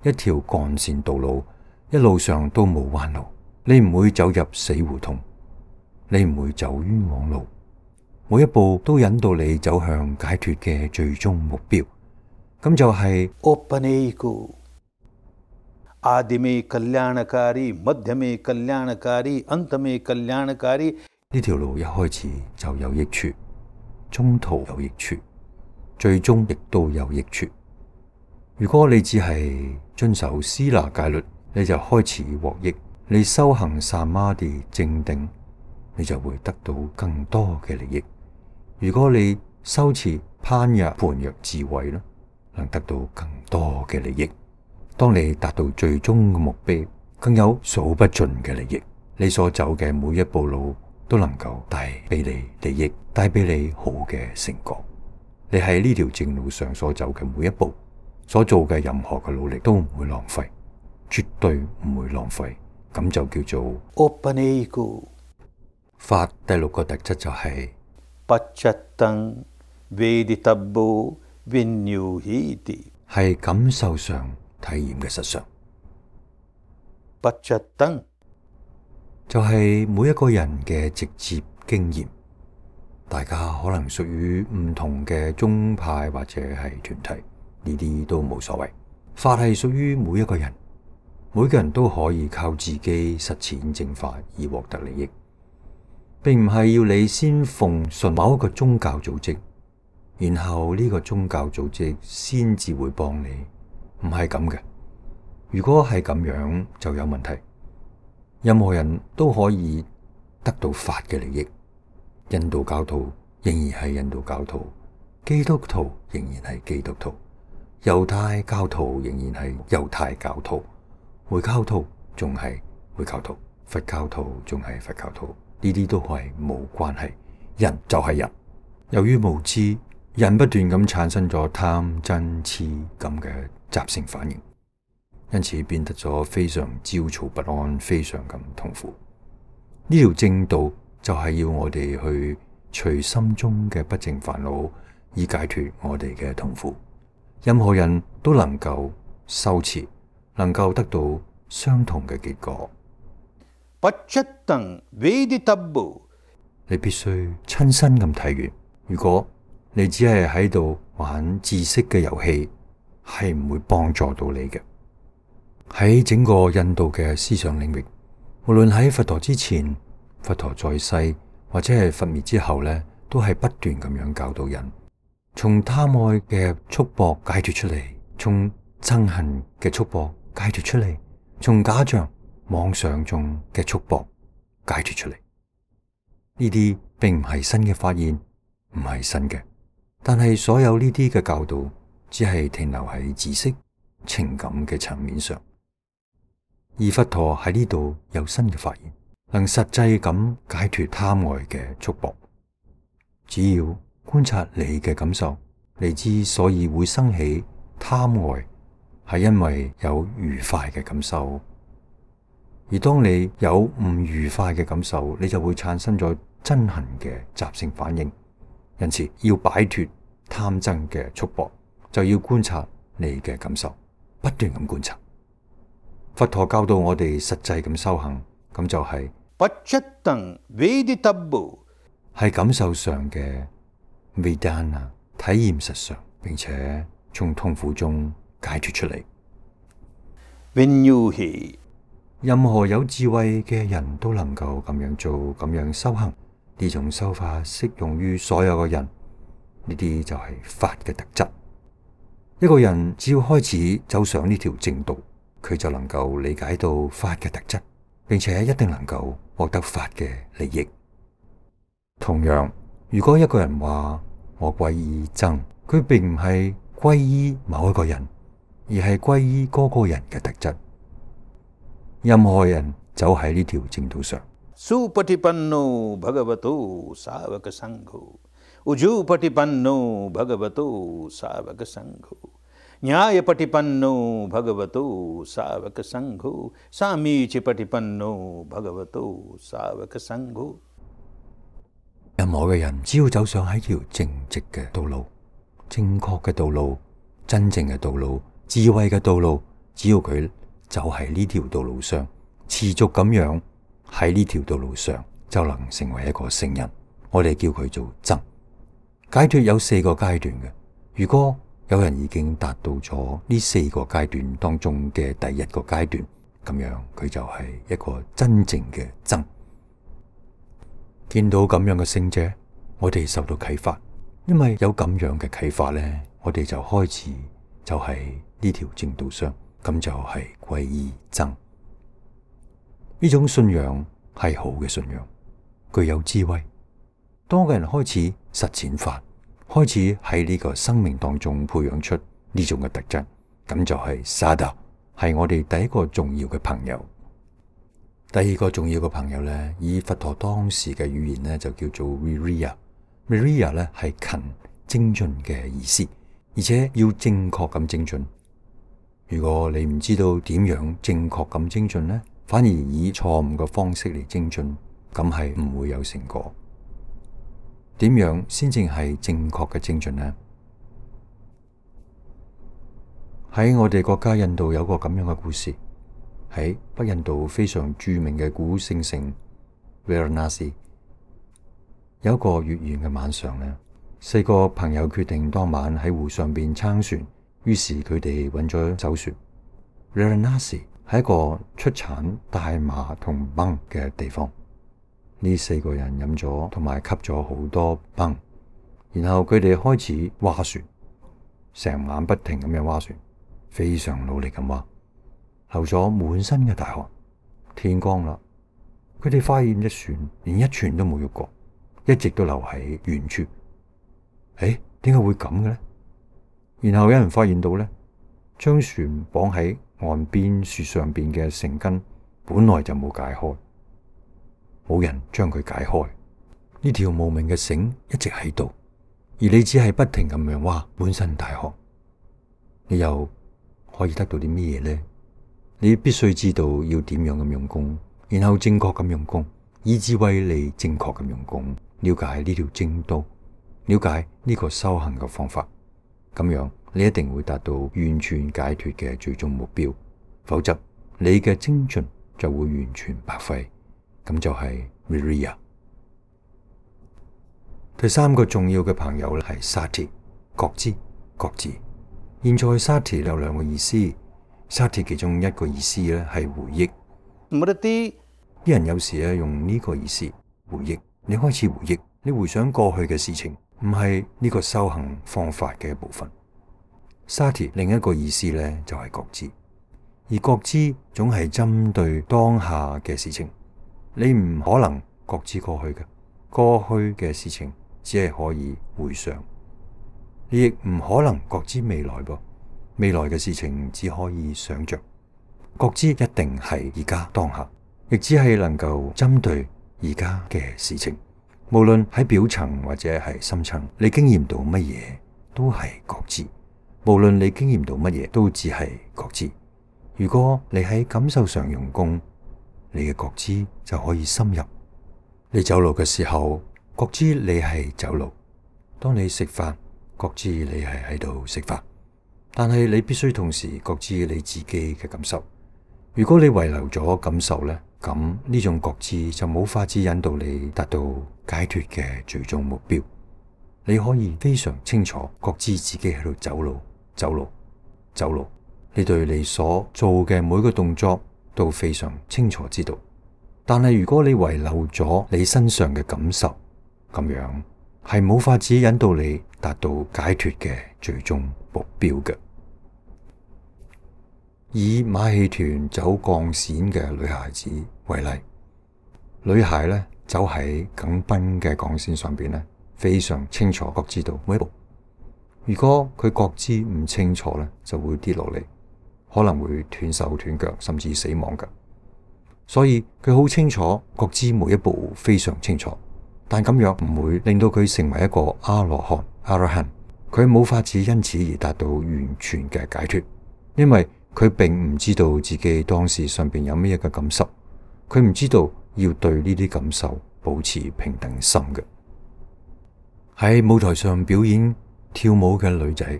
一條幹線道路，一路上都冇彎路，你唔會走入死胡同，你唔會走冤枉路，每一步都引導你走向解脫嘅最終目標，咁就係 ओपनेको आदि में कल्याणकारी मध्य में कल्याणकारी अंत में कल्याणकारी。呢條路一開始就有益處，中途有益處，最終亦都有益處。如果你只係遵守施那戒律，你就開始獲益；你修行薩瑪地正定，你就會得到更多嘅利益。如果你修持攀若盤若智慧啦，能得到更多嘅利益。當你達到最終嘅目標，更有數不盡嘅利益。你所走嘅每一步路都能夠帶俾你利益，帶俾你好嘅成果。你喺呢條正路上所走嘅每一步，所做嘅任何嘅努力都唔會浪費，絕對唔會浪費。咁就叫做 ओपनेको。法第六個特質就係 पच्चत्तं वेदितव्यो विन्युहीति，係感受上體驗嘅實相。पच्चत्तं就係每一個人嘅直接經驗，大家可能屬於唔同嘅宗派或者係團體，呢啲都冇所謂。法係屬於每一個人，每個人都可以靠自己實踐正法而獲得利益，並唔係要你先奉順某一個宗教組織，然後呢個宗教組織先至會幫你，唔係咁嘅。如果係咁樣就有問題。任何人都可以得到法嘅利益，印度教徒仍然係印度教徒，基督徒仍然係基督徒，猶太教徒仍然係猶太教徒，回教徒仲係回教徒，佛教徒仲係佛教徒，呢啲都係冇關係。人就係人，由於無知，人不斷咁產生咗貪嗔痴咁嘅習性反應，因此變得咗非常焦躁不安，非常咁痛苦。呢條正道就係要我哋去除心中嘅不淨煩惱，以解脫我哋嘅痛苦。任何人都能夠修持，能夠得到相同嘅結果。पच्चत्तं वेदितव्यो，你必須親身咁睇完。如果你只係喺度玩知識嘅遊戲，係唔會幫助到你嘅。喺整個印度嘅思想領域，無論喺佛陀之前、佛陀在世或者係佛滅之後咧，都係不斷咁樣教導人，從貪愛嘅束縛解脫出嚟，從憎恨嘅束縛解脫出嚟，從假象妄想中嘅束縛解脫出嚟。呢啲並唔係新嘅發現，唔係新嘅，但係所有呢啲嘅教導只係停留喺知識、情感嘅層面上。而佛陀喺呢度有新嘅發現，能實際咁解脫貪愛嘅束縛。只要觀察你嘅感受，你之所以會生起貪愛，係因為有愉快嘅感受。而當你有唔愉快嘅感受，你就會產生咗憎恨嘅習性反應。因此，要擺脫貪憎嘅束縛，就要觀察你嘅感受，不斷咁觀察。佛陀教導我哋實際咁修行，咁就係 पच्चत्तं वेदितव्यो，係感受上嘅 Vedana， 體驗實相，並且從痛苦中解脫出嚟。विन्युहि，任何有智慧嘅人都能夠咁樣做，咁樣修行。呢種修法適用於所有嘅人，呢啲就係法嘅特質。一個人只要開始走上呢條正道，佢就能夠理解到法嘅特質，並且一定能夠獲得法嘅利益。同樣，如果一個人話我皈依僧，佢並唔係皈依某一個人，而係皈依嗰個人嘅特質。任何人走喺呢條正道上， सुपटिपन्नो भगवतो सावक संघो उजूपटिपन्नो भगवतो सावक संघो न्यायपटिपन्नो भगवतो सावक संघो सामीचपटिपन्नो भगवतो सावक संघो। 任何嘅人只要走上喺條正直嘅道路、正確嘅道路、真正嘅道路、智慧嘅道路，只要佢就喺呢條道路上，持續咁樣喺呢條道路上，就能成為一個聖人。我哋叫佢做僧。解脫有四個階段嘅，如果有人已經達到咗呢四個階段當中嘅第一個階段，咁樣佢就係一個真正嘅僧。見到咁樣嘅聖者，我哋受到啟發，因為有咁樣嘅啟發呢，我哋就開始就喺呢條正道上，咁就係皈依僧。呢種信仰係好嘅信仰，具有智慧。當個人開始實踐法，開始喺呢個生命當中培養出呢種嘅特質，咁就係薩達，係我哋第一個重要嘅朋友。第二個重要嘅朋友呢，以佛陀當時嘅語言呢，就叫做 Viriya。Viriya 呢係勤精進嘅意思，而且要正確咁精進。如果你唔知道點樣正確咁精進呢，反而以錯誤嘅方式嚟精進，咁係唔會有成果。點樣先正係正確嘅精進呢？喺我哋國家印度有個咁樣嘅故事，喺北印度非常著名嘅古聖城 Varanasi， 有一個月圓嘅晚上呢，四個朋友決定當晚喺湖上邊撐船，於是佢哋揾咗走船。Varanasi 係一個出產大麻同檳嘅地方。呢四個人飲咗同埋吸咗好多檳，然後佢哋開始划船，成晚不停咁樣划船，非常努力咁划，流咗滿身嘅大汗。天光啦，佢哋發現隻船連一寸都冇喐過，一直都留喺原處。誒，點解會咁嘅呢？然後有人發現到呢，將船綁喺岸邊樹上邊嘅繩根本來就冇解開。冇人將佢解開，呢條無名嘅繩一直喺度，而你只係不停咁樣挖，滿身大汗，你又可以得到啲咩嘢呢？你必須知道要點樣咁用功，然後正確咁用功，以智慧嚟正確咁用功，了解呢條正道，了解呢個修行嘅方法，咁樣你一定會達到完全解脫嘅最終目標，否則你嘅精進就會完全白費。咁就係 Viriya。 第三個重要嘅朋友咧係 Sati， 覺知、覺知。現在 Sati 有兩個意思， Sati 其中一個意思咧係回憶。啲人有時咧用呢個意思回憶，你開始回憶，你回想過去嘅事情，唔係呢個修行方法嘅一部分。Sati 另一個意思咧就係覺知，而覺知總係針對當下嘅事情。你唔可能覺知過去嘅，過去嘅事情只係可以回想。你亦唔可能覺知未來噃，未來嘅事情只可以想着。覺知一定係而家當下，亦只係能夠針對而家嘅事情。無論喺表層或者係深層，你經驗到乜嘢都係覺知。無論你經驗到乜嘢，都只係覺知。如果你喺感受上用功，你嘅覺知就可以深入。你走路嘅時候，覺知你係走路；當你食飯，覺知你係喺度食飯。但係你必須同時覺知你自己嘅感受。如果你遺留咗感受呢，咁呢種覺知就冇法子引導你達到解脫嘅最終目標。你可以非常清楚覺知自己喺度走路、走路、走路。你對你所做嘅每個動作都非常清楚知道，但係如果你遺漏咗你身上嘅感受，咁樣係冇法子引導你達到解脫嘅最終目標嘅。以馬戲團走鋼線嘅女孩子為例，女孩咧走喺緊繃嘅鋼線上邊咧，非常清楚覺知道每一步。如果佢覺知唔清楚咧，就會跌落嚟，可能會斷手斷腳，甚至死亡㗎。所以佢好清楚覺知每一步非常清楚，但咁樣唔會令到佢成為一個阿羅漢、阿羅漢。佢冇法子因此而達到完全嘅解脫，因為佢並唔知道自己當時上邊有咩嘅感受，佢唔知道要對呢啲感受保持平等心嘅。喺舞台上表演跳舞嘅女仔，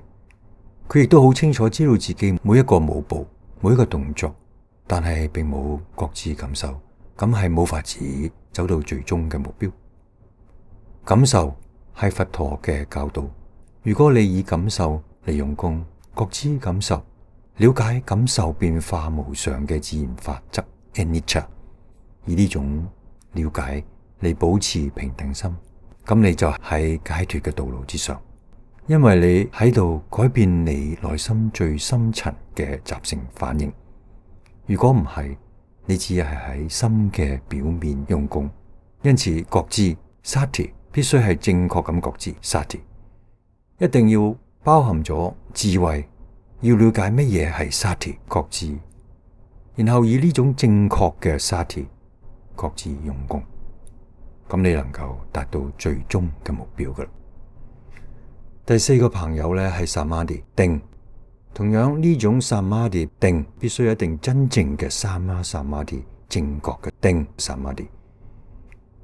佢亦都好清楚知道自己每一個舞步、每一個動作，但係並冇覺知感受，咁係冇法子走到最終嘅目標。感受係佛陀嘅教導，如果你以感受嚟用功，覺知感受，了解感受變化無常嘅自然法則 anicca， 以呢種了解嚟保持平等心，咁你就喺解脫嘅道路之上，因為你喺度改變你內心最深層嘅習性反應。如果唔係，你只係喺心嘅表面用功。因此覺知 sati 必須係正確咁覺知 sati， 一定要包含咗智慧，要了解乜嘢係 sati 覺知，然後以呢種正確嘅 sati 覺知用功，咁你能夠達到最終嘅目標噶啦。第四個朋友咧係 samadhi 定，同樣呢種 samadhi 定必須一定真正嘅 sama samadhi 正確嘅定 samadhi。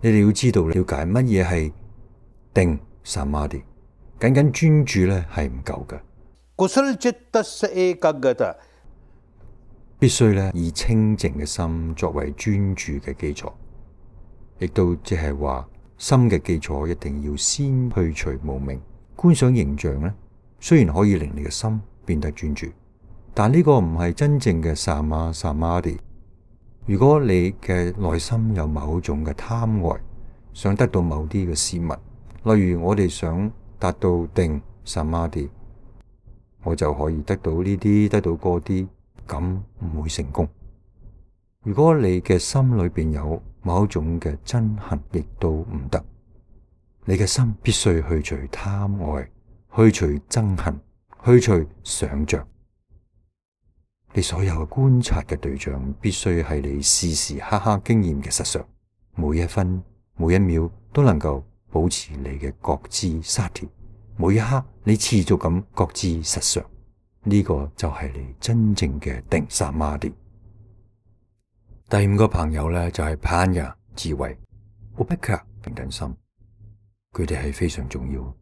你哋要知道了解乜嘢係定 samadhi， 僅僅專注咧係唔夠嘅。kusala chittasya ekaggata，必須咧以清淨嘅心作為專注嘅基礎，亦都即係話心嘅基礎一定要先去除無明。觀想形象咧，雖然可以令你嘅心變得專注，但呢個唔係真正嘅 sama samadhi。如果你嘅內心有某種嘅貪愛，想得到某啲嘅事物，例如我哋想達到定 samadhi， 我就可以得到呢啲，得到嗰啲，咁唔會成功。如果你嘅心裏邊有某種嘅憎恨，亦都唔得。你嘅心必須去除貪愛，去除憎恨，去除想象。你所有嘅觀察嘅對象必須係你時時刻刻經驗嘅實相，每一分每一秒都能夠保持你嘅覺知 sati， 每一刻你持續咁覺知實相，呢、這個就係你真正嘅定 samadhi。第五個朋友咧就係 panya 智慧 upekkha 平等心，佢哋係非常重要。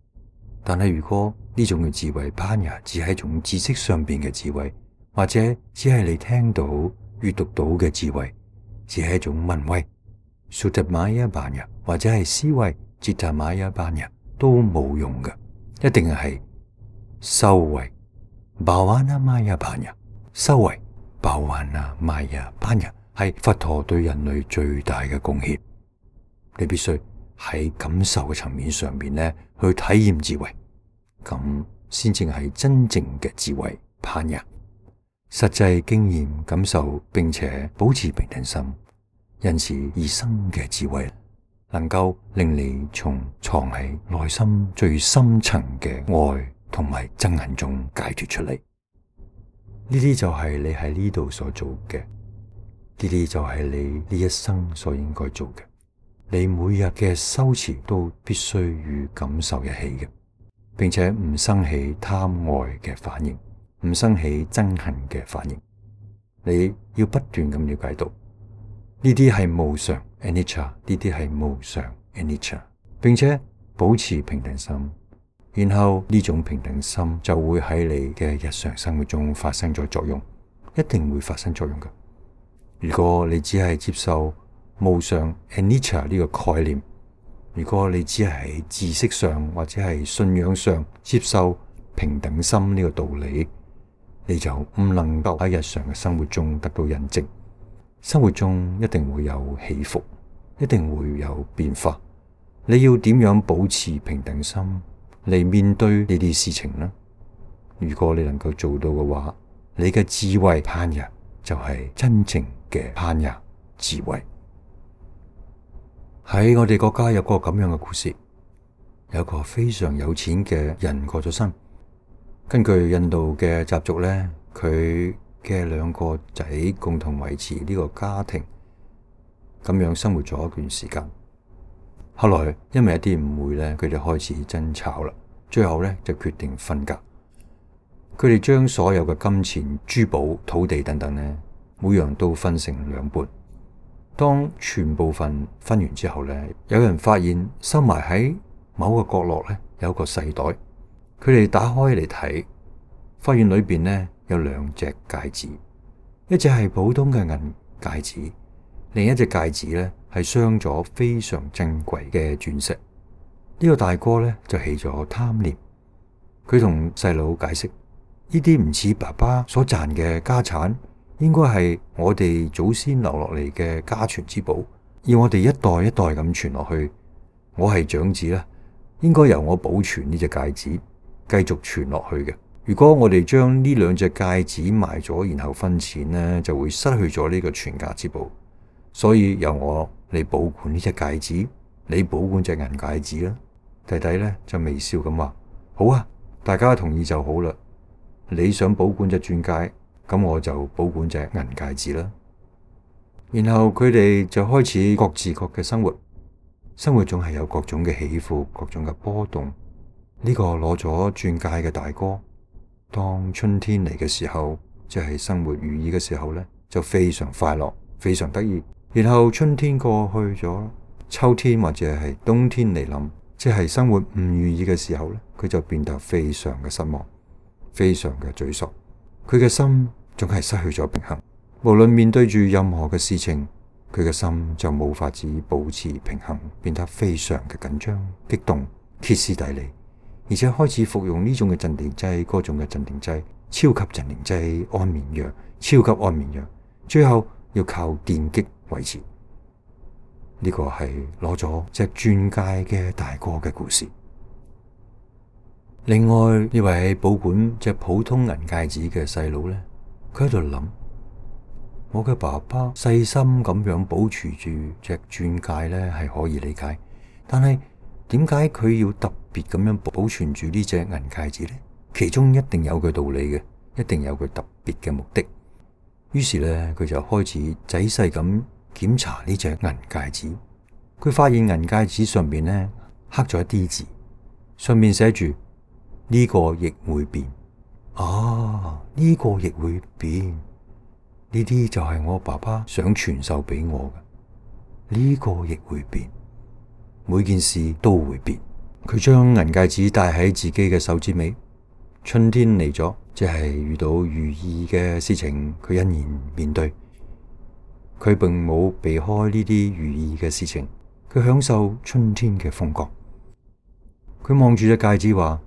但係如果呢種嘅智慧 panya 只係一種知識上邊嘅智慧，或者只係你聽到閱讀到嘅智慧，只係一種聞慧 suttamaya panya， 或者係思維 cittamaya panya 都冇用嘅，一定係修慧 bhavanamaya panya， 修慧 bhavanamaya panya 係佛陀對人類最大嘅貢獻。你必須喺感受嘅層面上面咧去體驗智慧，咁先正係真正嘅智慧 panya。實際經驗感受並且保持平等心，因此而生嘅智慧能夠令你從藏喺內心最深層嘅愛同埋憎恨中解脫出嚟。呢啲就係你喺呢度所做嘅，呢啲就係你呢一生所應該做嘅。你每日嘅修持都必須與感受一起嘅，並且唔生起貪愛嘅反應，唔生起憎恨嘅反應。你要不斷咁了解到呢啲係無常 anicca， 呢啲係無常 anicca， 並且保持平等心，然後呢種平等心就會喺你嘅日常生活中發生咗作用，一定會發生作用嘅。如果你只係接受無常 anicca 呢個概念，如果你只係喺知識上或者係信仰上接受平等心呢個道理，你就唔能夠喺日常嘅生活中得到印證。生活中一定會有起伏，一定會有變化。你要點樣保持平等心嚟面對呢啲事情呢？如果你能夠做到嘅話，你嘅智慧 panya 就係真正嘅 panya 智慧。喺我哋國家有個咁樣嘅故事，有個非常有錢嘅人過咗身。根據印度嘅習俗咧，佢嘅兩個仔共同維持呢個家庭，咁樣生活咗一段時間。後來因為一啲誤會咧，佢哋開始爭吵啦，最後咧就決定分家。佢哋將所有嘅金錢、珠寶、土地等等咧，每樣都分成兩半。當全部份分完之後咧，有人發現收埋喺某個角落咧，有個細袋，佢哋打開嚟睇，發現裏邊呢有兩隻戒指，一隻係普通嘅銀戒指，另一隻戒指呢係鑲咗非常珍貴嘅鑽石。呢個大哥呢就起咗貪念，佢同細佬解釋，呢啲唔似爸爸所賺嘅家產，應該係我哋祖先留落嚟嘅家傳之寶，要我哋一代一代咁傳落去。我係長子啦，應該由我保存呢隻戒指，繼續傳落去嘅。如果我哋將呢兩隻戒指賣咗，然後分錢呢，就會失去咗呢個傳家之寶。所以由我嚟保管呢隻戒指，你保管隻銀戒指啦。弟弟呢就微笑咁話：好啊，大家同意就好啦。你想保管隻鑽戒，咁我就保管隻銀戒指啦。然後佢哋就開始各自各嘅生活，生活總係有各種嘅起伏，各種嘅波動。呢個攞咗鑽戒嘅大哥，當春天嚟嘅時候，即係生活如意嘅時候呢，就非常快樂，非常得意。然後春天過去咗，秋天或者係冬天嚟臨，即係生活唔如意嘅時候呢，佢就變得非常嘅失望，非常嘅沮喪。佢嘅心總係失去咗平衡，無論面對住任何嘅事情，佢嘅心就冇法子保持平衡，變得非常嘅緊張、激動、歇斯底里，而且開始服用呢種嘅鎮定劑、嗰種嘅鎮定劑、超級鎮定劑、安眠藥、超級安眠藥，最後要靠電擊維持。呢個係攞咗隻鑽戒嘅大哥嘅故事。另外呢位保管隻普通銀戒指嘅細佬呢，佢喺度諗：我嘅爸爸細心咁樣保持住隻鑽戒呢，係可以理解，但係點解佢要特別咁樣保存住呢隻銀戒指呢？其中一定有佢道理嘅，一定有佢特別嘅目的。於是呢，佢就開始仔細咁檢查呢隻銀戒指。佢發現銀戒指上面呢刻咗一啲字，上面寫住呢個亦會變。啊，呢個亦會變，呢啲就係我爸爸想傳授俾我嘅。呢個亦會變，每件事都會變。佢將銀戒指戴喺自己嘅手指尾。春天嚟咗，即係遇到如意嘅事情，佢欣然面對。佢並冇避開呢啲如意嘅事情，佢享受春天嘅風光。佢望住隻戒指話：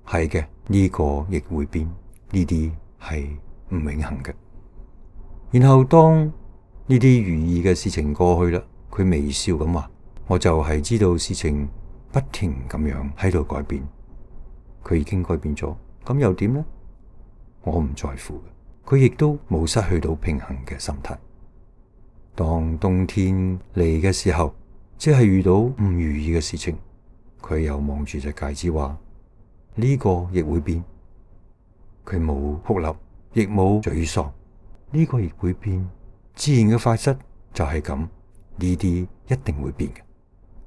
係嘅，呢個亦會變，呢啲係唔永恆嘅。然後當呢啲如意嘅事情過去啦，佢微笑咁話：我就係知道事情不停咁樣喺度改變，佢已經改變咗，咁又點呢？我唔在乎嘅，佢亦都冇失去到平衡嘅心態。當冬天嚟嘅時候，即係遇到唔如意嘅事情，佢又望住隻戒指話：呢個亦會變。佢冇哭泣，亦冇沮喪，呢個亦會變。自然嘅法則就係咁，呢啲一定會變嘅。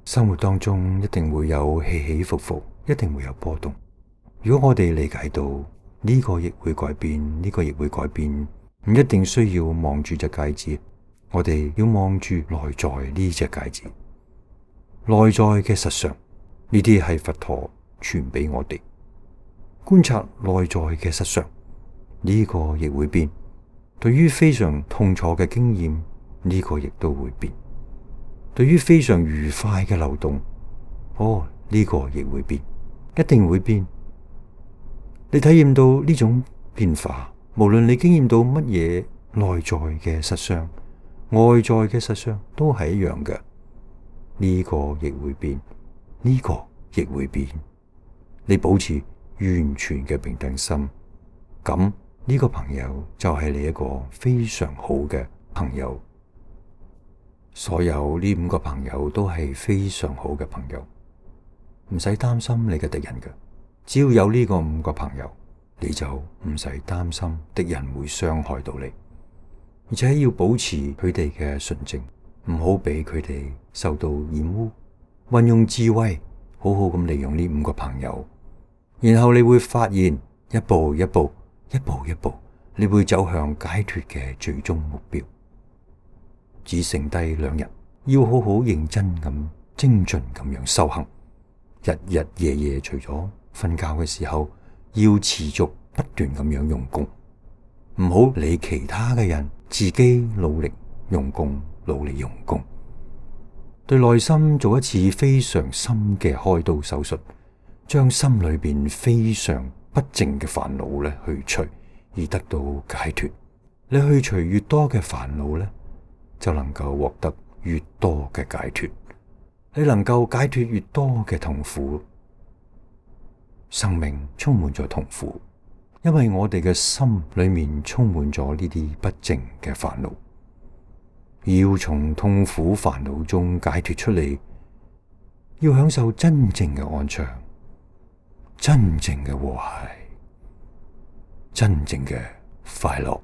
生活當中一定會有起起伏伏，一定會有波動。如果我哋理解到呢個亦會改變，呢個亦會改變，唔一定需要望住隻戒指，我哋要望住內在呢隻戒指，內在嘅實相。呢啲係佛陀傳俾我哋，觀察內在嘅實相，呢個亦會變。對於非常痛楚嘅經驗，呢個亦都會變。對於非常愉快嘅流動，哦，呢個亦會變，一定會變。你體驗到呢種變化，無論你經驗到乜嘢內在嘅實相、外在嘅實相，都係一樣嘅。呢個亦會變，呢個亦會變。你保持完全嘅平等心，咁呢個朋友就係你一個非常好嘅朋友。所有呢五個朋友都係非常好嘅朋友，唔使擔心你嘅敵人嘅。只要有呢個五個朋友，你就唔使擔心敵人會傷害到你，而且要保持佢哋嘅純正，唔好俾佢哋受到染污。運用智慧，好好咁利用呢五個朋友，然後你會發現一步一步、一步一步，你會走向解脫嘅最終目標。只剩低兩日，要好好認真咁、精進咁樣修行。日日夜夜除咗瞓覺嘅時候，要持續不斷咁樣用功，唔好理其他嘅人，自己努力用功，努力用功，對內心做一次非常深嘅開刀手術，將心裏邊非常不淨嘅煩惱咧去除，而得到解脫。你去除越多嘅煩惱咧，就能夠獲得越多嘅解脫。你能夠解脫越多嘅痛苦，生命充滿咗痛苦，因為我哋嘅心裏面充滿咗呢啲不淨嘅煩惱。要從痛苦煩惱中解脫出嚟，要享受真正嘅安詳，真正嘅和諧，真正嘅快樂。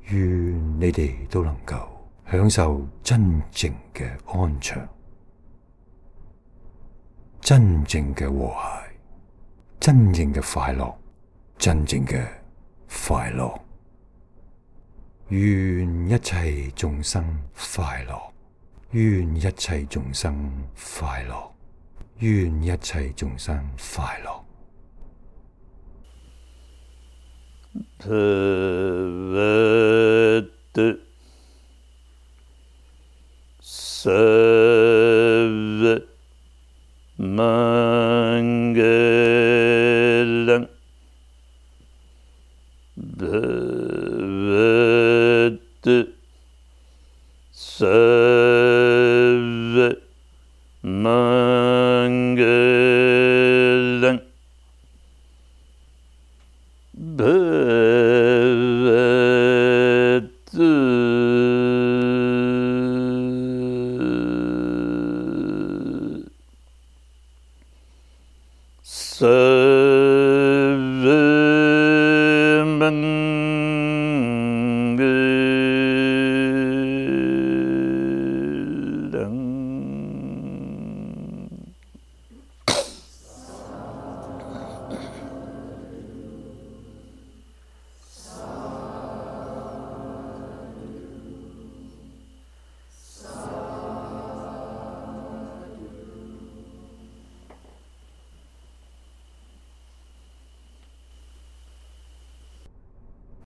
願你哋都能夠享受真正嘅安詳，真正嘅和諧，真正嘅快樂，真正嘅快樂。願一切眾生快樂，願一切眾生快樂，願一切眾生快樂。भवतु सर्वमङ्गलं भवतु सर्वमङ्गलं भवतु सर्वमङ्गलं